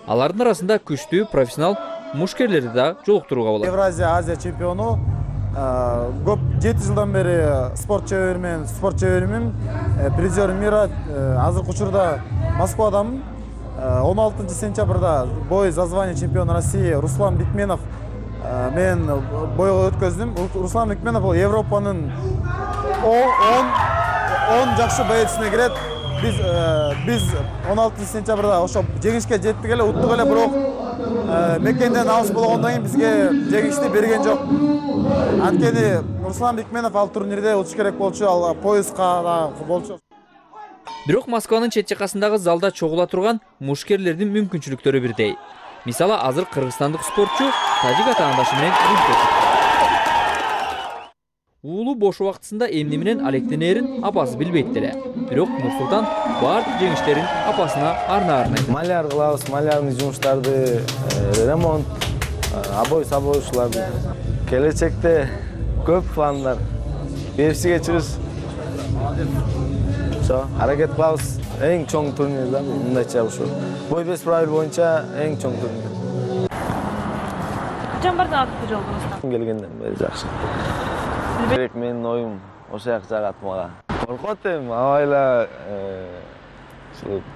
Алардын арасында күчтүү профессионал мушкерлерди да жолуктурууга болот.
Евразия Азия чемпиону көп 7 жылдан бери спорт чеберимин, призер мира. Азыркы учурда Москвадамын. 16 сентябрда бой за звание чемпиона России Руслан Бекменов мен бойго өткөздүм. Руслан Бекменов бул Европанын 10 жакшы боецуна кирет. Биз 16 сентябрда ошо жеңишке жеттик эле, уттук эле, бирок мекенден алыс болгондон кийин бизге жеңишти берген жок. Анткени Руслан Бекменов ал турнирде утуш керек болчу, ал пояска да болчу.
Бирок Москванын чет жакасындагы залда чогула турган мушкерлердин мүмкүнчүлүктөрү бирдей. Мисалы, азыр кыргызстандык спортчу тажик атаандашы менен рингге чыкты. Уулу бош убактысында эмне менен алектенерин апасы билбейт деле. Бирок Нурсултан баардык жеңиштерин апасына арнайт.
Маляр кылабыз, малярный жумуштарды, ремонт, обой сабоочуларды. Келечекте көп пландар. Берсиге чыгыш. Аракет кылабыз. Эң чоң турнир да, мындайча ушу. Бой бес правил боюнча эң чоң турнир.
Качан барды атты жолдуңузда?
Келгенден бери жакшы. Керек менин оюм ошо жак жагат мага. Коркот эми, абайла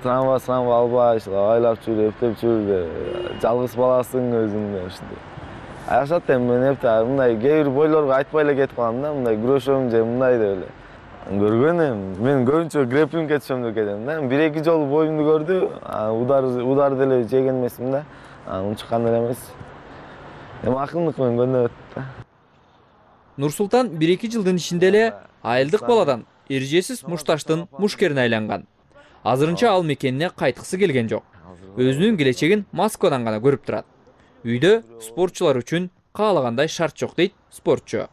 трамва албай, айлап жүрүп, эптеп жүрүп, жалгыз баласың өзүңдө ушундай. Жашат эми мен эптеп мындай кээ бир бойлорго айтпай эле кетип калам да, мындай күрөшөм же мындай деп эле. Көргөн эми, мен көбүнчө грэпплингге түшөм деп кетем да. 1-2 жолу боюмду көрдү, удар деле жеген эмесмин да. Унчуккан эле эмес. Эми акылдык менен көндөп өттү да.
Нурсултан 1-2 жылдын ичинде эле айылдык баладан эржесиз мушташтын мушкерине айланган. Азырынча ал мекенине кайткысы келген жок. Өзүнүн келечегин Москвадан гана көрүп турат. Үйдө спортчулар үчүн каалагандай шарт жок дейт спортчу.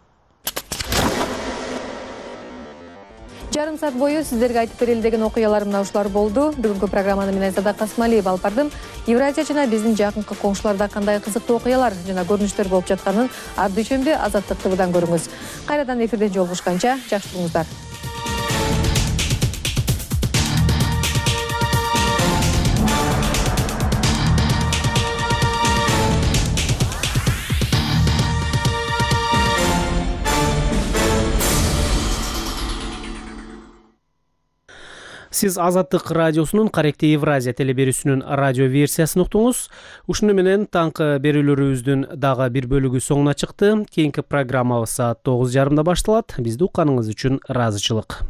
Жарым саат бою сиздерге айтып берели деген окуялар мына ушулар болду. Бүгүнкү программаны мен Айзада Касмалиева алып бардым. Евразия жана биздин жакынкы коңшуларда кандай кызыктуу окуялар жана көрүнүштөр болуп жатканын ар дүйшөмбү Азаттык ТВдан көрүңүз. Кайрадан эфирде жолугушканча жакшы туруңуздар.
Сиз Азаттык радиосунун Каректи Евразия телеберүүсүнүн радио версиясын уктуңуз. Ушуну менен таңкы берүүлөрүбүздүн дагы бир бөлүгү соңуна чыкты. Кийинки программабыз саат 9:30 башталат. Бизди укканыңыз үчүн ыраазычылык.